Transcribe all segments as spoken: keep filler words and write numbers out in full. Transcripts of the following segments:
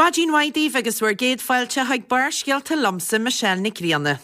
Maidin mhaith daoibh agus bhur gcéad fáilte chuig Barrscéalta liomsa Michelle Nic Grianna.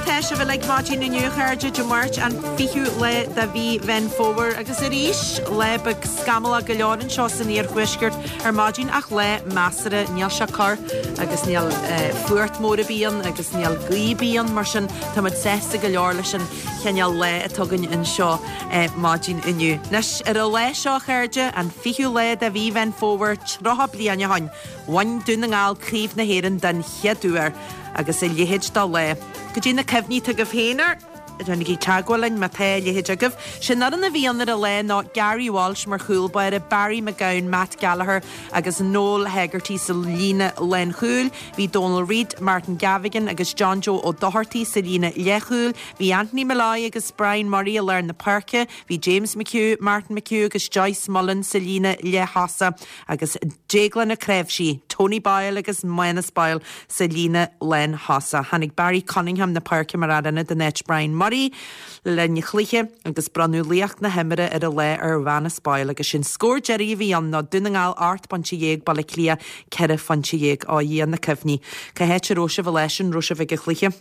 Tá sibh uilig maidin inniu a chairde Dé Máirt an fichiú lá de mhí Mheán Fómhair agus arís lá beag scamallach go leor anseo san iarthuaisceart ar maidin ach lá measartha níl sé corr agus níl eh, fuacht mór ar bith ann agus níl gaoth ar bith ann mar sin táimid sásta go leor leis an chineál lá atá againn anseo eh, maidin inniu. Anois ar an lá seo a chairde an fichiú lá de mhí Mheán Fómhair tríocha bliain ó shin, bhain Dún na nGall Craobh na hÉireann den chéad uair agus a leithéid de lá. Goidé na cuimhní atá agaibh féin air, Déanaigí teagmháil linn má tá a leithéid agaibh. Sé'n fhoireann a bhí ann ar an lá ná Gary Walsh mar chúl báire, Barry McGowan, Matt Gallagher agus Noel Hegarty sa líne lánchúil. Bhí Donal Reid, Martin Gavigan agus John Joe Ó Dochartaigh sa líne leathchúil. Bhí Anthony Molloy agus Brian Murray i lár na páirce. Bhí James McHugh, Martin McHugh agus Joyce Mullen sa líne leath-thosaigh agus Déaglán Ó Cnáimhsí, Tony Boyle agus Manus Boyle sa líne lánthosaigh. Tháinig Barry Cunningham na páirce mar fhear ionaid in áit Brian Murray le linn an chluiche agus bronnadh laoch na himeartha ar an lá ar Mhanus Boyle agus sé'n scór deiridh a bhí ann ná Dún na nGall ocht bpointe dhéag Baile Átha Cliath ceithre phointe dhéag ó Dhia na cuimhní. Cá háit a raibh sibh an lá sin raibh sibh ag an chluiche.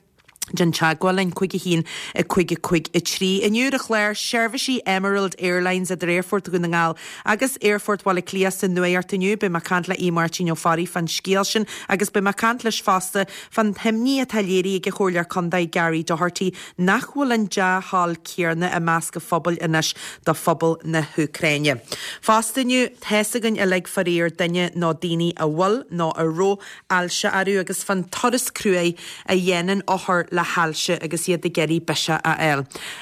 Déan teagmháil linn cúig a haon a cúig a cúig a trí. Inniu ar an chlár seirbhísí Emerald Airlines idir Aerfort Dhún na nGall agus Aerfort Bhaile Átha Cliath sa nuacht inniu, beidh mé ag caint le Aodh Máirtín Ó Fearraigh fán scéal sin agus beidh mé ag caint leis fosta fán imní atá léirithe ag an Chomhairleoir Contae Gary Doherty nach bhfuil an dea-thoil céanna i measc an phobail anois do phobal na hÚcráine. Fosta inniu tá's againn uilig faraor duine nó daoine a bhfuil nó a raibh ailse orthu agus fán turas cruaidh a dhéanann othair le hailse agus iad ag iarraidh biseach a fháil.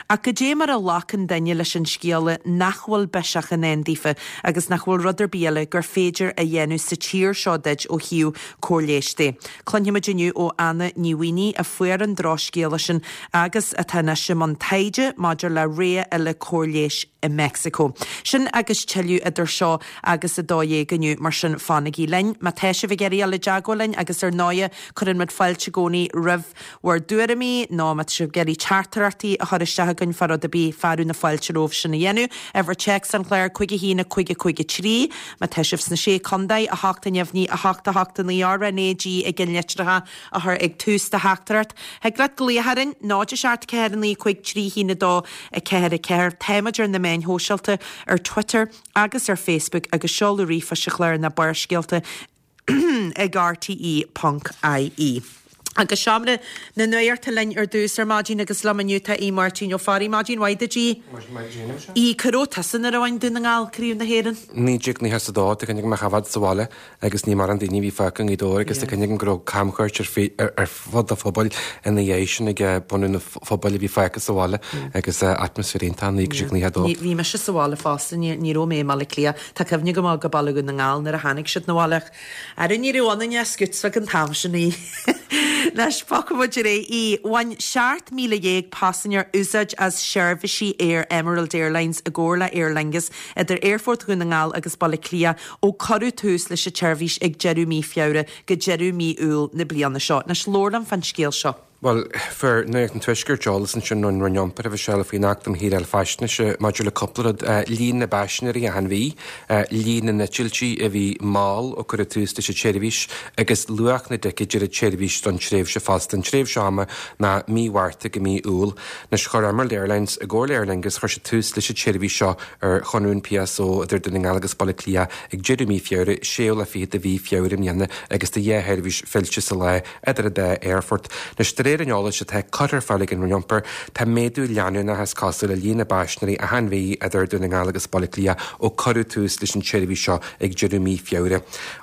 Ach goidé mar a ghlacann duine leis an scéala nach bhfuil biseach i ndán daofa agus nach bhfuil rud ar bith eile gur féidir a dhéanamh sa tír seo duit ó thaobh cóir leighis de. Cluinfimid inniu ó Anna Ní Mhaonaigh a fuair an drochscéala sin agus atá anois i mbun taighde maidir le rogha eile cóir leighis i Mexico. Sin agus tuilleadh idir seo agus a dó dhéag inniu mar sin fanaigí linn, má tá sibh ag iarraidh dul i dteagmháil linn agus ar ndóigh cuireann muid fáilte i gcónaí roimh bhur dtuairimí nó má tá sibh ag iarraidh teachtaireachtaí a chur isteach againn fá rud ar bith fearadh na fáilte romhaibh sin a dhéanamh. Uimhir téacs an chláir cúig a haon a cúig a cúig a trí, má tá sibh sna sé contae, a hocht a neamhní, a hocht a hocht a naoi R N A G i gceannlitreacha a chur ag tús do theachtaireacht. Thig leat glaoch orainn, náid a seacht ceathair a naoi cúig trí haon a dó a ceathair a ceathair. Táimid ar na meáin shóisialta ar Twitter agus ar Facebook agus seoladh ríomhphoist an chláir ná Barrscéalta ag rte ponc ie. Agus seomra na nuachta linn ar dtús ar maidin agus liom inniu tá Aodh Máirtín Ó Fearraigh. Maidin mhaith duit a Aoidh. Cá raibh tusa nuair a bhain Dún na nGall Craobh na hÉireann? Naoi déag nócha is a dó, tá cuimhne agam i mo choimhéad sa bhaile agus ní mórán daoine a bhí fágtha i nGaoth Dobhair agus tá cuimhne agam go raibh camchuairt ar fud an phobail ina dhiaidh sin ag bunadh na phobail a bhí fágtha sa bhaile agus atmaisféar iontach naoi déag nócha a dó. Bhí mise sa bhaile fosta, ní raibh mé i mBaile Átha Cliath. Tá cuimhne agam go Baile Dhún na nGall nuair a tháinig siad 'na bhaile ach ara ní raibh ionainn ach scouts ag an t-am sin í. Anois bogfaidh muid ar aghaidh í. Bhain seacht míle dhéag paisinéir úsáid as seirbhísí aeir Emerald Airlines i gcomhar le Aer Lingus idir Aerfort Dhún na nGall agus Baile Átha Cliath ó cuireadh tús leis an tseirbhís ag deireadh mí Feabhra go deireadh mí Iúil na bliana seo. Anois labhair liom fán scéal seo. Bhuel, fuair Nuacht an Tuaiscirt eolas ansin ón Roinn Iompair a Mhichelle faoin Acht um Shaoráil Faisnéise maidir le cúpla rud, líon na bpaisinéirí achan mhí, líon na n-eitiltí a bhí mall ó cuireadh tús leis an tseirbhís agus luach na dticéad ar an tseirbhís don tréimhse fosta. An tréimhse ama ná mí Mhárta go mí Iúil. Anois, chuir Emerald Airlines i gcomhar le Aer Lingus, chuir siad tús leis an tseirbhís seo ar chonradh an PSO idir Dún na nGall agus Baile Átha Cliath ag deireadh mí Feabhra, séú lá fichead de mhí Feabhra i mbliana agus tá dhá sheirbhís fillte sa lá idir an dá aerfort. Anois, de réir an eolais atá curtha ar fáil ag an Roinn Iompair, tá méadú leanúnach is cosúil i líon na bpaisinéirí achan mhí idir Dún na nGall agus Baile Átha Cliath ó cuireadh tús leis an tseirbhís seo ag deireadh mí Feabhra.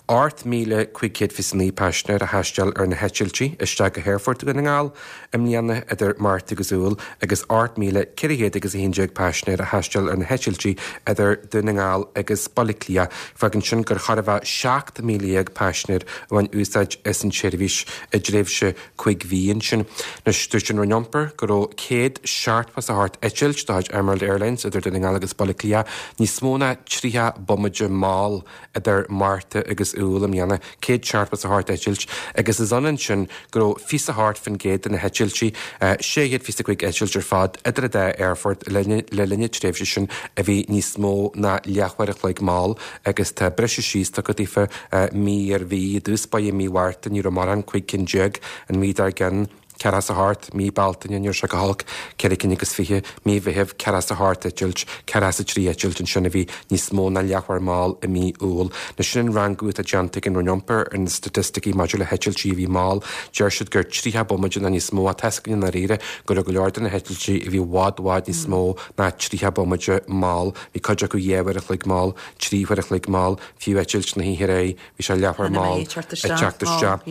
Ocht míle cúig chéad fiche naoi paisinéir a thaisteal ar na heitiltí isteach go hAerfort Dhún na nGall i mbliana idir Márta agus Iúil agus ocht míle ceithre chéad agus a haon déag paisinéir a thaisteal ar na heitiltí idir Dún na nGall agus Baile Átha Cliath. Fágann sin gur chóir a bheith seacht míle dhéag paisinéir a bhain úsáid as an tseirbhís i dtréimhse cúig mhí ansin. sin. Anois dúirt an Roinn Iompair go raibh céad seachtó is a hocht eitilt de chuid Emerald Airlines idir Dún na nGall agus Baile Átha Cliath níos mó ná tríocha bomaite mall idir Márta agus Iúil i mbliana, céad seachtó is a hocht eitilt, agus is ionann sin go raibh fiche a hocht faoin gcéad de na heitiltí, sé chéad fiche a cúig eitilt ar fad idir an dá aerfort le linn na tréimhse sin a bhí níos mó ná leathuair a chloig mall agus tá briseadh síos tugtha daofa mí ar mhí. I dtús báire mí Mhárta ní raibh mórán, cúig cinn déag, an mhí dár gcionn, ceathracha is a hocht, mí Bealtaine ní raibh sé go holc, ceithre cinn agus fiche, mí Mheithimh, ceathracha is a hocht eitilt, ceathracha is a trí eitilt ansin a bhí níos mó ná leathuair mall i mí Iúil. Anois sin an rangú atá déanta ag an Roinn Iompair ar na staitisticí maidir le heitiltí a bhí mall. Deir siad gur tríocha bomaite nó níos mó ach tá a fhios againn i ndáiríre go raibh go leor de na heitiltí a bhí i bhfad bhfad níos mó ná tríocha bomaite mall. Bhí cuid acu dhá uair a chloig mall, trí huair a chloig mall, fiú eitilt na hoíche aréir, bhí sé leathuair mall ag teacht isteach.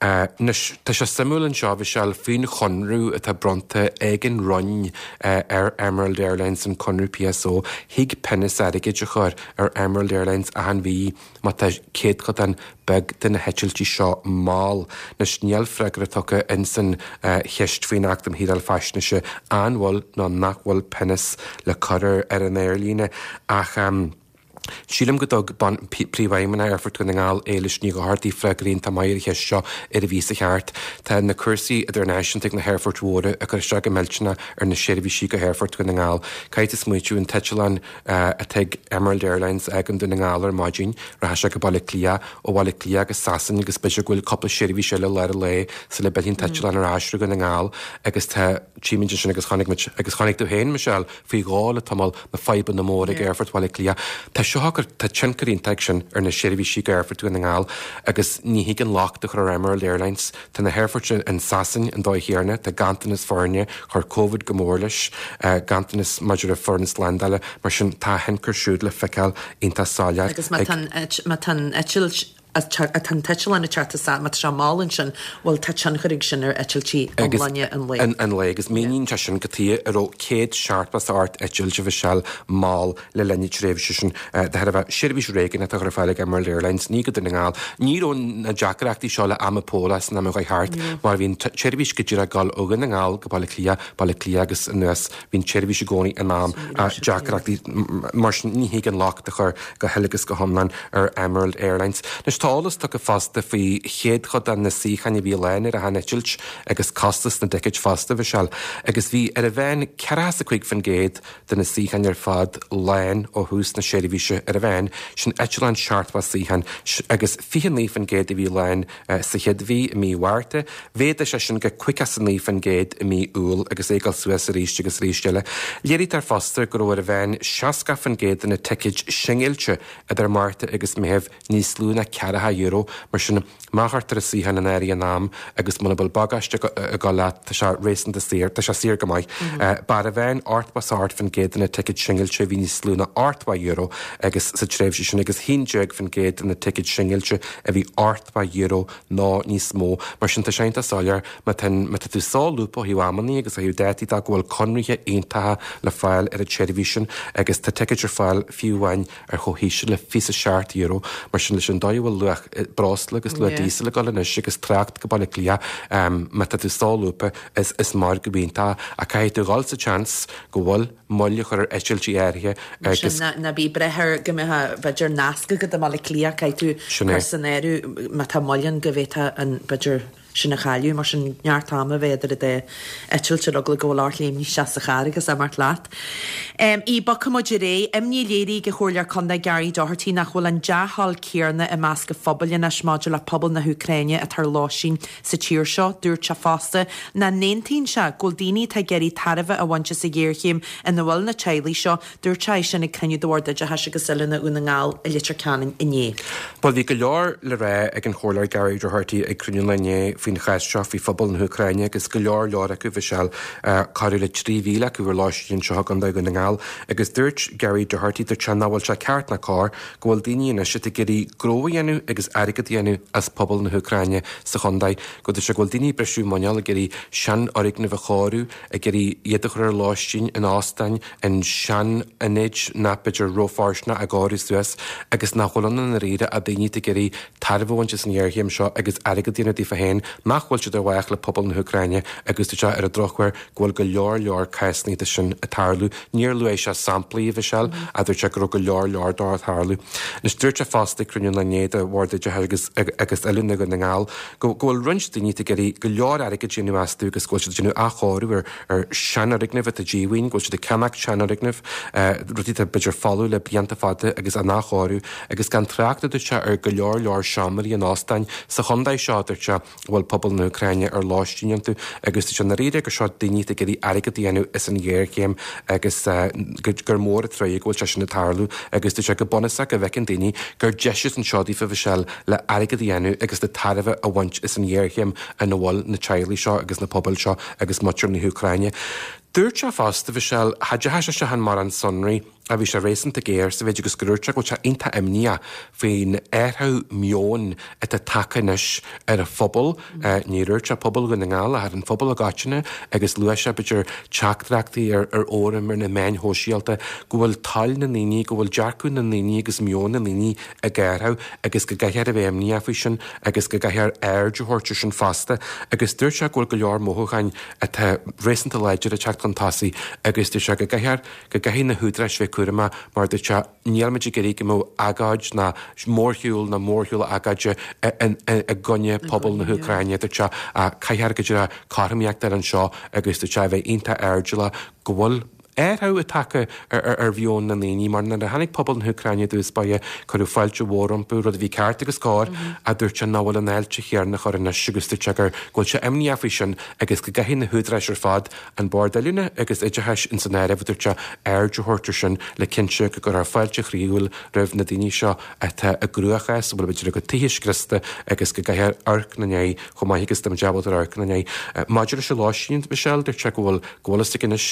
Anois, tá sé suimiúil anseo, bhí sé faoin chonradh atá bronnta ag an Roinn ar Emerald Airlines, an conradh P S O, thig pionós airgid a chur ar Emerald Airlines achan mhí má tá céatadán beag de na heitiltí seo mall. Anois níl freagra tugtha insan cheist faoin Acht um Shaoráil Faisnéise an bhfuil nó nach bhfuil pionós le cur ar an aerlíne ach sílim go dtug Príomhfheidhmeannach Aerfort Dhún na nGall, Éilis Ní Dhochartaigh, freagra iontach maith ar an cheist seo ar an mhí seo thart. Tá na cúrsaí idirnáisiúnta ag na haerfoirt mhóra ag cur isteach go millteanach ar na seirbhísí go hAerfort Dhún na nGall. Caithfidh tú smaoitiú an t-eitleán atá ag Emerald Airlines ag an Dún na nGall ar maidin, rachaidh sé go Baile Átha Cliath, ó Bhaile Átha Cliath go Sasain agus b'fhéidir go bhfuil cúpla seirbhís eile lár an lae sula bhfilleann an t-eitleán ar ais go Dún na nGall agus tá trímid sin agus chonaic muid agus chonaic tú féin, Michelle, faoi dhó le tamall na fadhbanna móra ag Aerfort Bhaile Átha Cliath. Tá seo tá tionchar iontach sin ar na seirbhísí go Aerfort Dhún na nGall agus ní thig an locht a chur ar Emerald Airlines. Tá na haerfoirt in Sasain an dóigh chéanna, tá ganntanas foirne, chuir Covid go mór leis, ganntanas maidir le foireann slándála, mar sin tá a thionchar siúd le feiceáil iontach soiléir. Agus má tá an eitilt tá an t-eitleán ag teacht isteach má tá sé mall ansin, bhuel tá tionchar ag sin ar eitiltí iomláine an lae. An lae agus míníonn sé sin cad chuige a raibh céad seachtó is a hocht eitilt a Mhichelle mall le linn na tréimhse sin de thairbhe seirbhís réigiúnach atá ar fáil ag Emerald Airlines ní go Dún na nGall. Ní raibh na deacrachtaí seo le am póla san am a chuaigh thart mar bhí an tseirbhís go díreach ag dul ó Dhún na nGall go Baile Átha Cliath, Baile Átha Cliath agus anuas, bhí an tseirbhís i gcónaí in am deacrachtaí mar sin ní thig an locht a chur go huile agus go hiomlán ar Emerald Airlines. Anois tá eolas tugtha fosta faoi chéatadán na suíochán a bhí lán ar achan eitilt agus costas na dticéid fosta, Mhichelle, agus bhí ar a mheán ceathracha is a cúig faoin gcéad de na suíocháin ar fad lán ó thús na seirbhíse ar a mheán, sin eitleán seachtó suíochán agus fiche naoi faoin gcéad a bhí lán sa chéad mhí i mí Mhárta. Mhéadaigh sé sin go caoga is a naoi faoin gcéad i mí Iúil agus é ag dul suas arís agus arís eile. Léirítear fosta go raibh ar a mheán seasca faoin gcéad de na ticéid singilte idir Márta agus Meitheamh níos lú ná ceathracha euro mar sin má chuirtear suíochán in áirithe in am agus muna bhfuil bagáiste ag dul leat tá sé réasúnta saor, tá sé saor go maith. B'ar a mheán ochtó is a hocht faoin gcéad de na ticéid singilte a bhí níos lú ná ochtó euro agus sa tréimhse sin agus haon déag faoin gcéad de na ticéid singilte a bhí ochtó euro nó níos mó. Mar sin tá sé iontach soiléir má tá tú solúbtha ó thaobh amanna agus ó thaobh dátaí de go bhfuil conarthaí iontacha le fáil ar an tseirbhís sin agus tá ticéid ar fáil fiú amháin ar chomh híseal le fiche seacht euro mar sin leis an dóigh a bhfuil luach breosla agus luach díosail ag dul anois agus trácht go Baile Átha Cliath má tá tú solúbtha is is margadh iontach a caithfidh tú dhul sa tseans go bhfuil moill a chur ar eitiltí áirithe agus ná bí ag brath ar go mbeadh b'fhéidir nasc agat i mBaile Átha Cliath caithfidh tú Sin é. cur san áireamh má tá moill ann go bhféadfá an b'fhéidir sin a chailleadh mar sin neart ama bheith idir an dá eitilt ar eagla go bhfuil ort léimní isteach sa charr agus imeacht leat. Um, I bogfaimid ar aghaidh, imní léirithe ag an Chomhairleoir Contae Gary Doherty nach bhfuil an dea-thoil céanna i measc an phobail anois maidir le pobal na hÚcráine atá ar lóistín sa tír seo, dúirt sé fosta nach n-aontaíonn sé go bhfuil daoine atá ag iarraidh tairbhe a bhaint as an ghéarchéim ina bhfuil na teaghlaigh seo, dúirt sé sin ag cruinniú de Bhord Oideachais agus Oiliúna Dhún na nGall i Leitir Ceanainn inné. Well bhí go leor le rá ag an Chomhairleoir Gary Doherty ag cruinniú inné faoin chás seo faoi phobal na hÚcráine agus go leor leor acu Michelle corradh le trí mhíle acu ar lóistín anseo i gContae Dhún na nGall agus dúirt Gary Doherty dúirt sé nach bhfuil sé ceart ná cóir go bhfuil daoine anois ag iarraidh gnó a dhéanamh agus airgead a dhéanamh as pobal na hÚcráine sa chontae go dúirt sé go bhfuil daoine ag briseadh muineál ag iarraidh seanfhoirgnimh a chóiriú ag iarraidh iad a chur ar lóistín in óstáin in seanionaid nach b'fhéidir rófhóirsteanach a chóiriú suas agus nach bhfuil ann i ndáiríre ach daoine ag iarraidh tairbhe a bhaint as an ngéarchéim seo agus airgead a dhéanamh daofa féin. nach bhfuil siad ar mhaithe le pobal na hÚcráine agus dúirt sé ar an drochuair go bhfuil go leor leor cásanna de sin ag tarlú. Níor luaigh sé samplaí a Mhichelle ach dúirt sé go raibh go leor leor dó ag tarlú. Anois dúirt sé fosta ag cruinniú an lae inné de Bhord Oideachais agus agus Oiliúna Dhún na nGall go go bhfuil roinnt daoine ag iarraidh go leor airgid a dhéanamh astu agus go bhfuil siad ag déanamh athchóiriú ar ar seanfhoirgnimh atá díomhaoin, go bhfuil siad ag ceannach seanfhoirgnimh, rudaí atá b'fhéidir folamh le blianta fada agus á n-athchóiriú agus gan trácht a dúirt sé ar go leor leor seomraí in óstáin sa chontae seo, dúirt sé, a bhfuil pobal na hÚcráine ar lóistín iontu agus dúirt sé i ndáiríre gur seo daoine atá ag iarraidh airgead a dhéanamh as an ghéarchéim agus gur mór an trua go bhfuil sé sin ag tarlú agus dúirt sé go bunúsach go bhfeiceann daoine gur deis anseo daofa Mhichelle le airgead a dhéanamh agus le tairbhe a bhaint as an ghéarchéim ina bhfuil na teaghlaigh seo agus na pobail seo agus muintir na hÚcráine. Dúirt sé fosta, Mhichelle, cha dteachaigh sé isteach in mórán sonraí ach bhí sé réasúnta géar sa mhéid agus gur dhúirt sé go bhfuil sé iontach imníoch faoin athrú meoin atá tagtha anois ar an phobal, ní dhúirt sé pobal Dhún na nGall ach ar an phobal i gcoitinne agus luaigh sé b'fhéidir teachtaireachtaí ar ar fhóraim ar na meáin shóisialta go bhfuil toil na ndaoine, go bhfuil dearcadh na ndaoine agus meon na ndaoine ag athrú agus go gcaithfear a bheith imníoch faoi sin agus go gcaithfear aird a thabhairt air sin fosta agus dúirt sé go bhfuil go leor mothúcháin atá réasúnta láidir ag teacht chun tosaigh agus dúirt sé go gcaithfear, go gcaithfidh na húdaráis bheith cúramach mar dúirt sé níl muid ag iarraidh go mbeadh agóid ná mórshiúl ná mórshiúl agóide i gcoinne pobal na hÚcráine, dúirt sé, ach caithfear go díreach cothromaíocht ar anseo agus dúirt sé a bheith iontach airdeallach go bhfuil athrú tagtha ar mheon na ndaoine, mar nuair a tháinig pobal na hÚcráine i dtús báire, cuireadh fáilte mhór rompu, rud a bhí ceart agus cóir, ach dúirt sé nach bhfuil an fháilte chéanna á chur anois agus dúirt sé gur go bhfuil sé imníoch faoi sin agus go gcaithfidh na húdaráis ar fad, an Bord Oiliúna agus Oideachais ins an áireamh, a dúirt sé, aird a thabhairt ar sin le cinntiú go gcuirfear fáilte chroíúil roimh na daoine seo atá i gcruachás, a bhfuil b'fhéidir a gcuid tithe scriosta agus go gcaithfear amharc ina ndiaidh chomh maith agus atá muid ábalta amharc ina ndiaidh. Maidir leis an lóistín, Michelle, dúirt sé go bhfuil go bhfuil fhios aige anois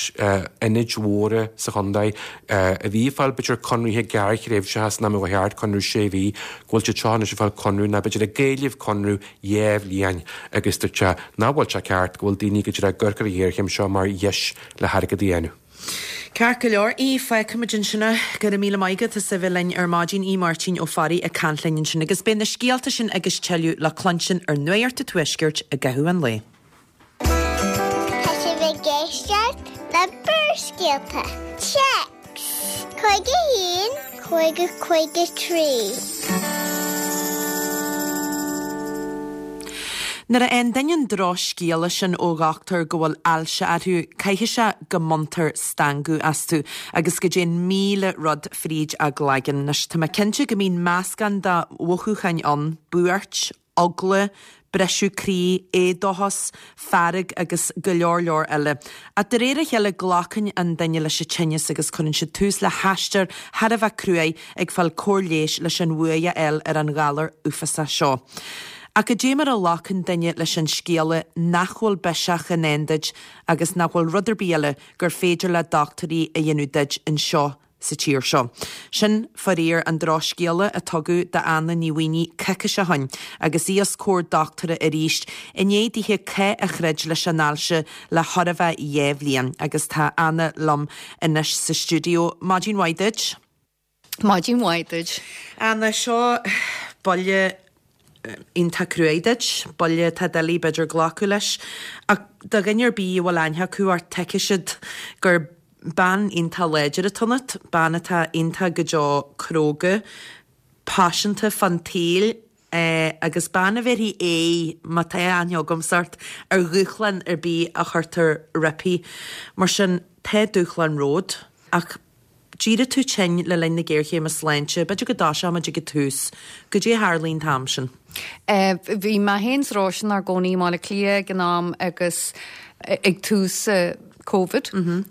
ionaid mhóra sa chontae a bhí ag fáil b'fhéidir conraithe gearrthréimhseacha san am a ba cheart conradh sé mhí, go bhfuil siad seo anois ag fáil conradh nó b'fhéidir ag éileamh conradh dhá bhliain agus dúirt sé nach bhfuil sé ceart go bhfuil daoine go díreach ag amharc ar an ghéarchéim seo mar dheis le hairgead a dhéanamh. Ceart go leor, Aodh, fágfaimid ansin é. Go raibh míle maith agat as a bheith linn ar maidin. Aodh Máirtín Ó Fearraigh ag caint linn ansin agus beidh na scéalta sin agus tuilleadh le cluinstin ar Nuacht an Tuaiscirt i gcaitheamh an lae. Tá sibh ag éisteacht le Barrscéalta. Téacs cúig a haon, cúig a cúig a trí. Nuair a fhaigheann duine an drochscéala sin ó dhochtúir go bhfuil ailse orthu, caithfidh sé go mbaintear stangadh astu agus go dtéann míle rud fríd a gcloigeann. Anois, tá mé cinnte go mbíonn meascán de mhothúcháin ann, buairt, eagla, briseadh croí, éadóchas, fearg agus go leor leor eile. Ach de réir a chéile glacann an duine leis an tinneas agus cuireann siad tús le haistear thar a bheith cruaidh ag fáil cóir leighis leis an bhuaidh a fháil ar an ghalar uafásach seo. Ach cad é mar a ghlacann duine leis an scéala nach bhfuil biseach i ndán duit agus nach bhfuil rud ar bith eile gur féidir le dochtúirí a dhéanamh duit anseo sa tír seo. Sin, faraor, an drochscéala a tugadh d'Anna Ní Mhaonaigh coicís ó shin agus í os comhair dochtúra arís i ndiaidh dithe cath a throid leis an ailse le chóir a bheith dhá bhliain. Agus tá Anna liom anois sa stiúideo. Maidin mhaith duit. Maidin mhaith duit. Anna, seo buille iontach cruaidh duit, buille atá doiligh b'fhéidir glacadh leis, ach do dhuine ar bith a bhfuil aithne acu ort tuigfidh siad gur bean iontach láidir atá ionat, bean atá iontach go deo cróga, paiseanta fán tsaol agus bean a bhéarfaidh aghaidh, má tá aithne agamsa ort, ar dhúshlán ar bith a chuirtear roimpi. Mar sin, tá dúshlán romhat, ach d'éirigh tú tinn le linn na géarchéime sláinte, b'fhéidir go dtoiseoimid ag an tús. Goidé a tharlaigh an t-am sin? Bhí mé féin 's Róise inár gcónaí i mBaile Átha Cliath ag an am agus ag tús Covid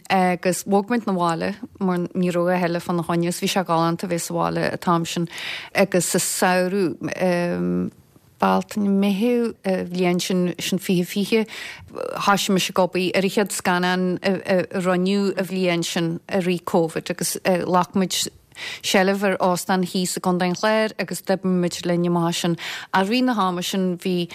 agus bhog muid 'na bhaile mar ní raibh a thuilleadh fána choinne is bhí sé galánta bheith sa bhaile an t-am sin agus sa samhradh Bealtaine, Meitheamh an bhliain sin, sin fiche fiche, thoisigh mise ag obair ar an chéad scannán a rinneadh an bhliain sin i rith Covid agus ghlac muid seilbh ar óstán thíos i gContae an Chláir agus d'oibrigh muid linn amach as sin. I rith na hama sin bhí,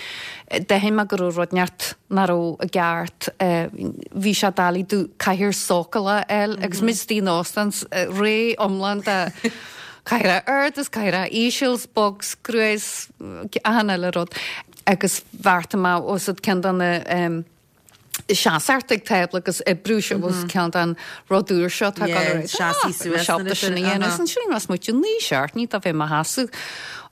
d'aithin mé go raibh rud inteacht nach raibh i gceart, bhí sé doiligh domh cathaoir sócúlach a fháil agus muid istigh in óstán ré iomlán de cathaoireacha ard is cathaoireacha íseal 's bog 's crua 's achan uile rud. Agus bheartaigh mé os cionn ceann de na um, seasamh ag tábla agus oibriú seo was ceann den rud úr seo tá Yeah, seasaí suas sin a dhéanamh. Ansin mas muid ní seart ní a bheith mar sheasamh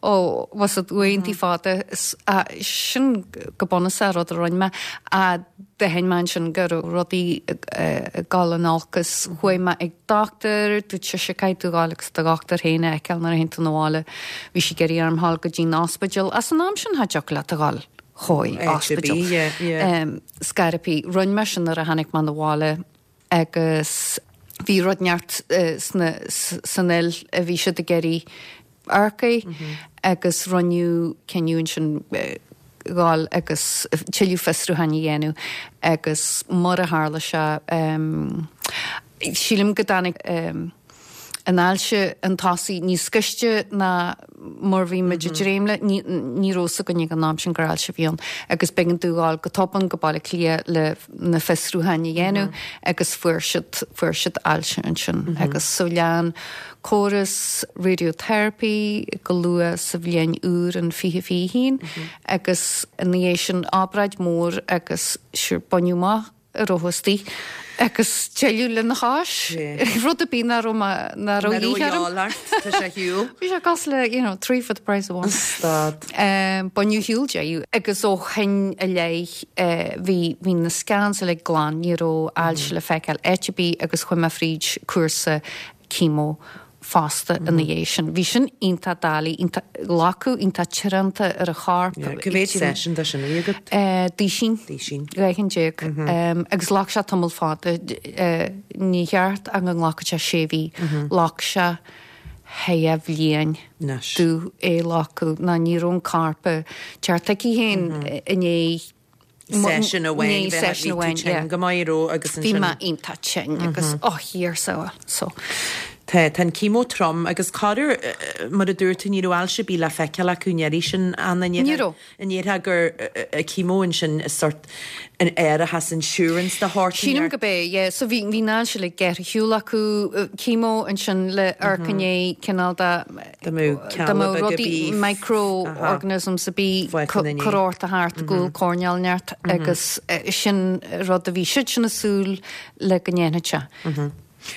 ó was it uaireanta fada is- a, sin go bunúsach rud a rinne mé a d'aithin mé sin go raibh rudaí ag dul in olcas chuaigh mé ag dochtúir dúirt sise caithfidh tú ghabháil agus do dhochtúir féin a fheiceáil nuair a théann tú 'na bhaile bhí sí ag iarraidh orm ghabháil go dtí an ospidéal as an am sin cha dtiocfadh leat a ghabháil chuig Áit ar ospidéal. bith, yeah, yeah. Um, scaipthe rinne mé sin nuair a tháinig mé 'na bhaile agus bhí rud neart uh, sna, s- san fhuil a bhí siad ag iarraidh amharc agus rinneadh cinneadh sin ghabháil agus tuilleadh fiosrúcháin a dhéanamh agus mar a tharla sé um, sílim go dtáinig um, an ailse an tosaigh níos gaiste ná mar bhí muid ag dréim le ní ní raibh a fhios againn ag an am sin gur ailse a bhí ann agus b'éigean dúinn ghabháil go tobann go Baile Átha Cliath le na fiosrúcháin a dhéanamh agus fuair siad fuair siad ailse ansin agus so lean córas radiotherapy go luath sa bhliain úr an fiche fiche haon agus ina dhiaidh sin obráid mór agus sure baineadh amach a raibh istigh agus tuilleadh lena chois rud a bí ná ná Tá sé shiúl. Bhí sé cosúil le you know, three for the price of one. Stad. Um, Baineadh shiúl de agus ó shin i leith uh, bhí bhí na scans le glan ní raibh ailse le feiceáil áit ar bith agus chuaigh mé fríd cúrsa chemo fosta ina dhiaidh sin. Bhí sin iontach doiligh iontach glacadh iontach teoranta ar a chorp. Cá mhéad session de sin a bhí agat? Uh, Duisín. Duisín. Dhá déag. Um, agus ghlac sé tamall fada uh, ní cheart an go nglacfadh sé sé mhí ghlac sé dhá bhliain Anois. domh é ghlacadh ná ní raibh an corp ceart aici féin inné Session amháin session amháin yeah. go maith ró agus Bhí mé iontach tinn agus ó thiar sa so. Tá tá an chemo trom agus corr mar a dúirt tú ní raibh ailse ar bith le feiceáil acu néirí sin an Ní raibh. An ndéarfá gur chemo ansin is sort an árachas insurance de shórt. Sílim go bé, yeah, so bhí bhí ná se le geir shiúl acu chemo ansin le arcané cineál de Dá mbeadh dá mbeadh cealla beaga rudaí bí- microorganisms a bhí Fágtha ina corórta thart go coirneál neart agus eh, sin rud a bhí siad sin ag súil le go ndéanfadh sé.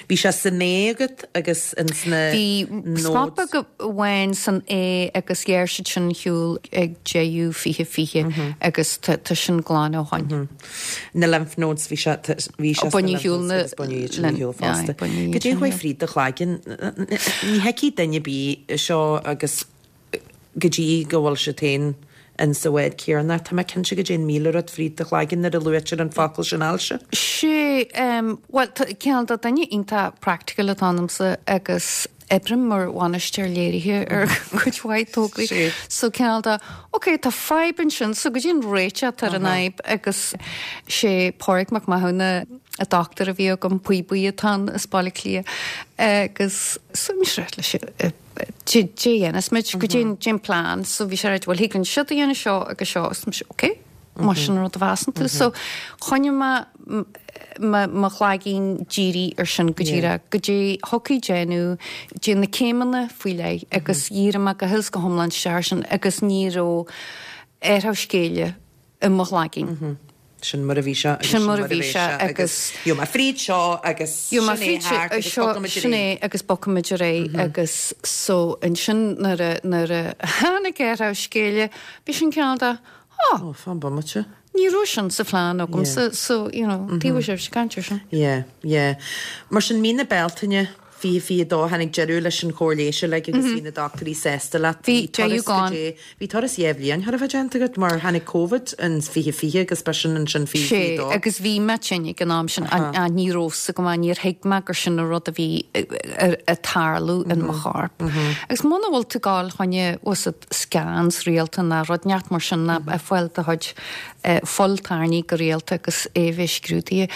Bhí sé san ae agat agus in sna Bhí spot go bhain san é agus ghearr siad sin shiúl ag deireadh fiche fiche agus tá tá sin glan ó shin. na lymph nodes bhí sé bhí sé Baineadh shiúl na- baineadh shiúl fosta. baineadh Go dé sin, chuaigh fríd do chloigeann ní thuigfidh duine ar bith seo agus go dtí go bhfuil sé féin in sa bhád céanna Tá mé cinnte go dtéann míle rud fríd do chloigeann nuair a luaitear an focal sin ailse. Sé um, well ceann de duine iontach practical atá ionamsa agus oibrím mar bhainisteoir léirithe ar chuid mhaith tograí. Sé. So ceann de ok tá fadhb ansin so go dtí'n réiteach ar an fhadhb agus sé Pádraig Mac Mathúna an dochtúir a bhí agam poiblí atá i Baile Átha Cliath agus so mis leis dé dhéanfaidh muid go dtéan déan plean so bhí sé bhfuil thig linn seo a dhéanamh seo agus seo is mise ok mar sin rud a mheasann tú so choinnigh mé mo chloigeann dírithe ar sin go díreach go dtí thiocfaidh déanamh dé na céimeanna faoi leith agus dhírigh mé go huile is go hiomlán isteach sin agus ní raibh athrú scéile i mo chloigeann. Sin mar a bhí sé Sin mar a bhí sé agus Jo ma fríd seo agus Jo ma fríd seo sin é agus bogfaimid ar aghaidh agus so ansin nuair a nuair a tháinig athrú scéile bhí sin ceann de Ó fan bomaite. Ní raibh sin sa phlean agam so so you know tí sibh se cantir sin. Yeah, yeah. Mar sin mí na Bealtaine fiche fiche dó tháinig deireadh leis an chóir leighis le agus bhí na dochtúirí sásta leat. Bhí deireadh glan. Bhí turas dhá bhliain thar a bheith déanta agat mar tháinig COVID an fiche fiche agus ba sin ansin fiche Sé fiche dó. agus bhí mé tinn ag an am sin a ní raibh a fhios agam níor thuig mé gur sin an rud a bhí ag tarlú in mo chorp. Agus muna bhfuil tú ag gabháil chun was it scans rialta ná rud neart mar sin ná a fáil do chuid fuil tairní go rialta agus é bheith scrúdaithe.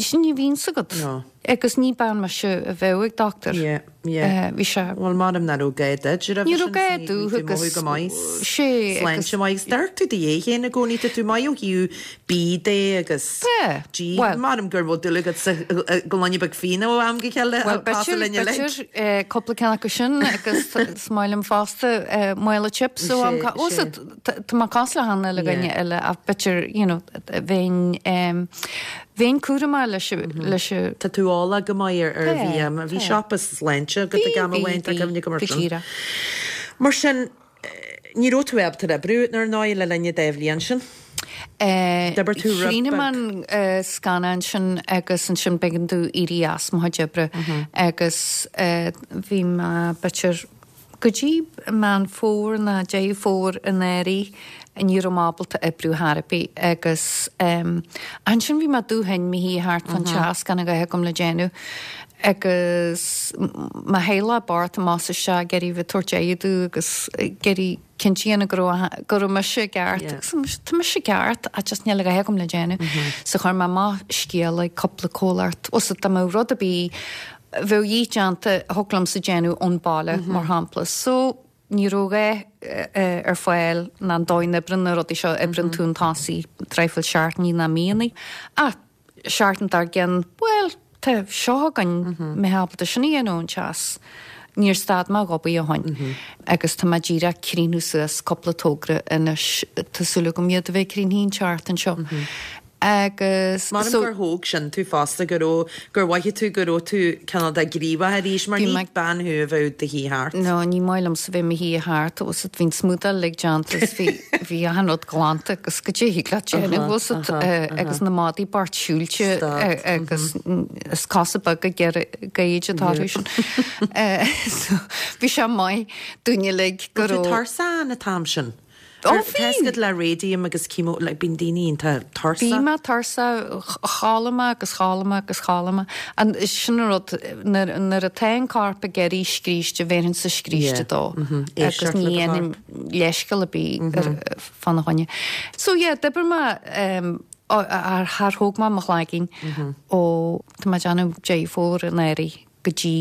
Sin ní bhíonn agat. No. Agus ní bean me se a bheith ag dochtúir. Yeah. Yeah. Bhí sé Bhuel measaim nach raibh gá duit Ní raibh gá domh agus go maith sé Sláinte maith Deir tú di féin i gcónaí tá tú maith ó thaobh bídh de agus Tá, G well- Measaim gur bhfuil dúil agat sa gloine beag fíona ó am go chéile Well b'fhéidir cúpla ceann acu sin agus is maith liom fosta mála chips so am Tá má cás le hana le gaine eile ach b'fhéidir you know bheinn bheinn cúramach leis leis Tá tú ála go maith ar bhí bhí siopa sláinte go gan bhain go mar sin. Mar sin ní raibh tú ábalta oibriú ar ndóigh le linn dá bhliain sin? D'oibir tú Chríochnaigh an scannán sin agus ansin b'éigean domh éirí as mo chuid oibre agus bhí mé b'fhéidir go dtí Meán Fómhair ná Deireadh Fómhair anuraidh ní raibh mé ábalta oibriú ar chor ar bith agus ansin bhí mé dubh tinn mo shuí thart fan teach gan a dhath agam le déanamh agus mo theaghlach bocht amach is isteach ag iarraidh bheith ag tabhairt aire domh agus ag iarraidh cinnte a dhéanamh go raibh go raibh mise i gceart agus tá mise i gceart ach just níl a dhath agam le déanamh. So chuir mé amach scéal ag cúpla comhlacht os dá mbeadh rud ar bith a bheadh de dhíth déanta a thiocfadh liomsa déanamh ón baile mar shampla. So ní raibh a dhath ar fáil ná an dóigh a n-oibreann na rudaí seo oibreann tú chun tosaigh traidhfil seachtainí ná míonna. Ach seachtain dár gcionn, bhuel, tá seo againn mé ábalta sin a dhéanamh ón teas. Níor stad mé ag obair ó shin agus tá mé díreach ag críochnú suas cúpla togra anois tá súil agam iad a bheith críochnaithe an tseachtain seo. Agus Mar gur thóg sin tú fosta go raibh gur mhothaigh tú go raibh tú cineál de gníomhach arís mar ní bean thú a bheadh do shuí thart. No, ní maith liomsa bheith i mo shuí thart agus bhí an smúdáil uilig déanta is bhí bhí achan rud glanta agus go dté leat déanamh bhfuil agus na maidí bocht siúilte agus is cosa beaga géid atá sin. Bhí sé maith dúinn uilig go raibh. Tuirseach an t-am sin. Ó bhí le radium agus chemo le bíonn daoine iontach tuirseach. Bhí mé tuirseach chodlaigh mé agus chodlaigh mé agus chodlaigh mé. An sin an rud nuair atá an corp ag iarraidh scríste bhéarfainnse scríste dó agus ní dhéanaim leithscéal ar bith fána choinne. So yeah, d'oibir mé ar thar thóg mé mo chlaigín ó tá mé ag déanamh Deireadh Fómhair anuraidh go dtí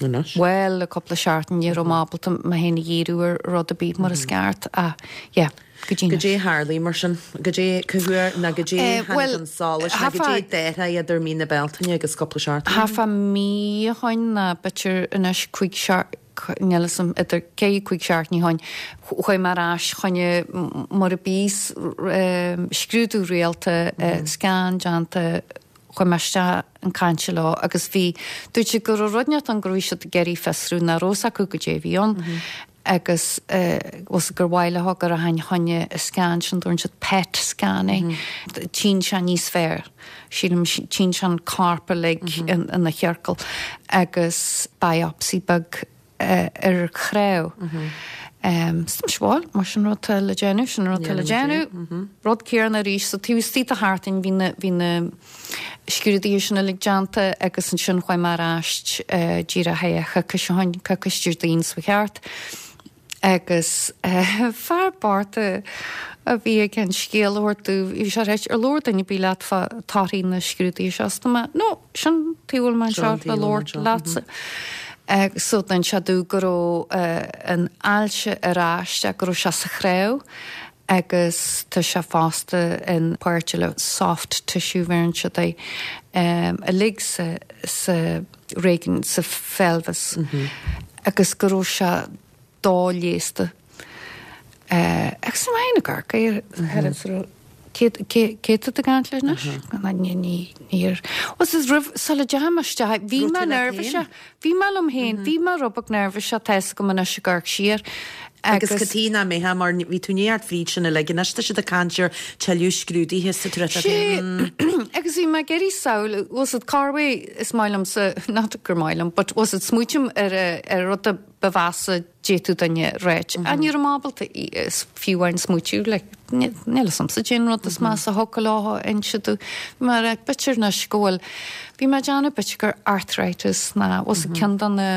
Anois? Bhuel, le cúpla seachtain ní raibh mé ábalta mé féin a dhíriú ar rud ar bith mar is ceart ach yeah, go dtí Go dté tharlaigh mar sin, go dté cá huair ná go dté tháinig an solas ná go dté d'athraigh idir mí na Bealtaine agus cúpla seachtain? Thart fá mí ó shin ná b'fhéidir anois cúig níl a fhios agam idir ceithre cúig seachtainí ó shin chuaigh mé ar ais chun mar a bíos scrúdú rialta scan déanta chuaigh mé isteach chun cainte leo agus bhí, dúirt siad go raibh rud inteacht ann go raibh siad ag iarraidh fiosrú nach raibh fhios acu goidé a bhí ann agus was gur mhaith leo go rachainn chun an scan sin, dúirt siad PET scan é, tchíonn sé níos fearr, sílim, tchíonn sé an corp uilig ina chiorcal agus biopsy beag ar chnámh. So tá mise bhuel, mar sin rud atá le déanamh, sin rud atá le déanamh, rud céanna arís, so taobh istigh de sheachtain bhí na, bhí na scrúduithe sin uilig déanta agus ansin chuaigh mé ar ais díreach thar choicís ó shin, coicís Déardaoin seo thart agus fear bocht a bhí ag an scéal a thabhairt domh, bhí sé ag ráit, ar labhair duine ar bith leat fá torthaí na scrúduithe seo? Is tá mé, no, sin tuige a bhfuil mé anseo le labhairt leatsa. So d'inis sé domh go raibh an ailse ar ais ach go raibh sé sa chnámh agus tá sé fosta in páirt eile soft tissue bheireann siad é uilig sa sa réigiún sa pheilbheas agus go raibh sé doleigheasta. Agus mé ag amharc air cé cé tá tú ag caint leis anois? Ní ní níor. Was is roimh sula dteachaigh mé isteach bhí mé neirbhíseach bhí mé liom féin bhí mé rud beag neirbhíseach tá fhios agam anois ag amharc siar Agus cad chuige nach mbeifeá mar bhí tú neart fríd sin uilig anois tá siad ag caint ar tuilleadh scrúduithe sa truite Sé agus bhí mé ag iarraidh samhail was it Carway is maith liomsa not gur maith liom but was it smaoiním ar ar rud a ba mheasa d'fhéadfadh duine a ráit. Ach ní raibh mé ábalta fiú amháin smaoitiú like níl fhios a'msa cén rud is measa a thiocfadh leo a inse domh. Bhí mé ag rá b'fhéidir anois go bhfuil bhí mé ag déanamh b'fhéidir gur arthritis ná was it ceann de na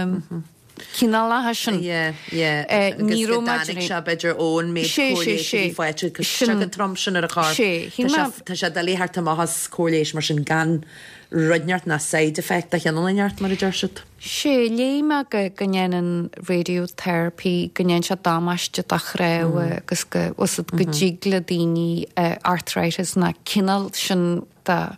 cineálacha sin. Yeah, yeah. Agus Ní go raibh mé dtáinig sé b'fhéidir ón méid Sé, sé, cóir leighis a sé. bhí faighte agus Sin sé go trom sin ar a chorp. Sé, shíl Tá mé sé tá sé doiligh theacht amach as cóir leighis mar sin gan rud inteacht ná side effect de chineál inteacht mar a deir siad. Sé léigh mé go go ndéanann radiotherapy go ndéanann sé damáiste do chnámha agus go was go dtig le daoine arthritis na cineál sin de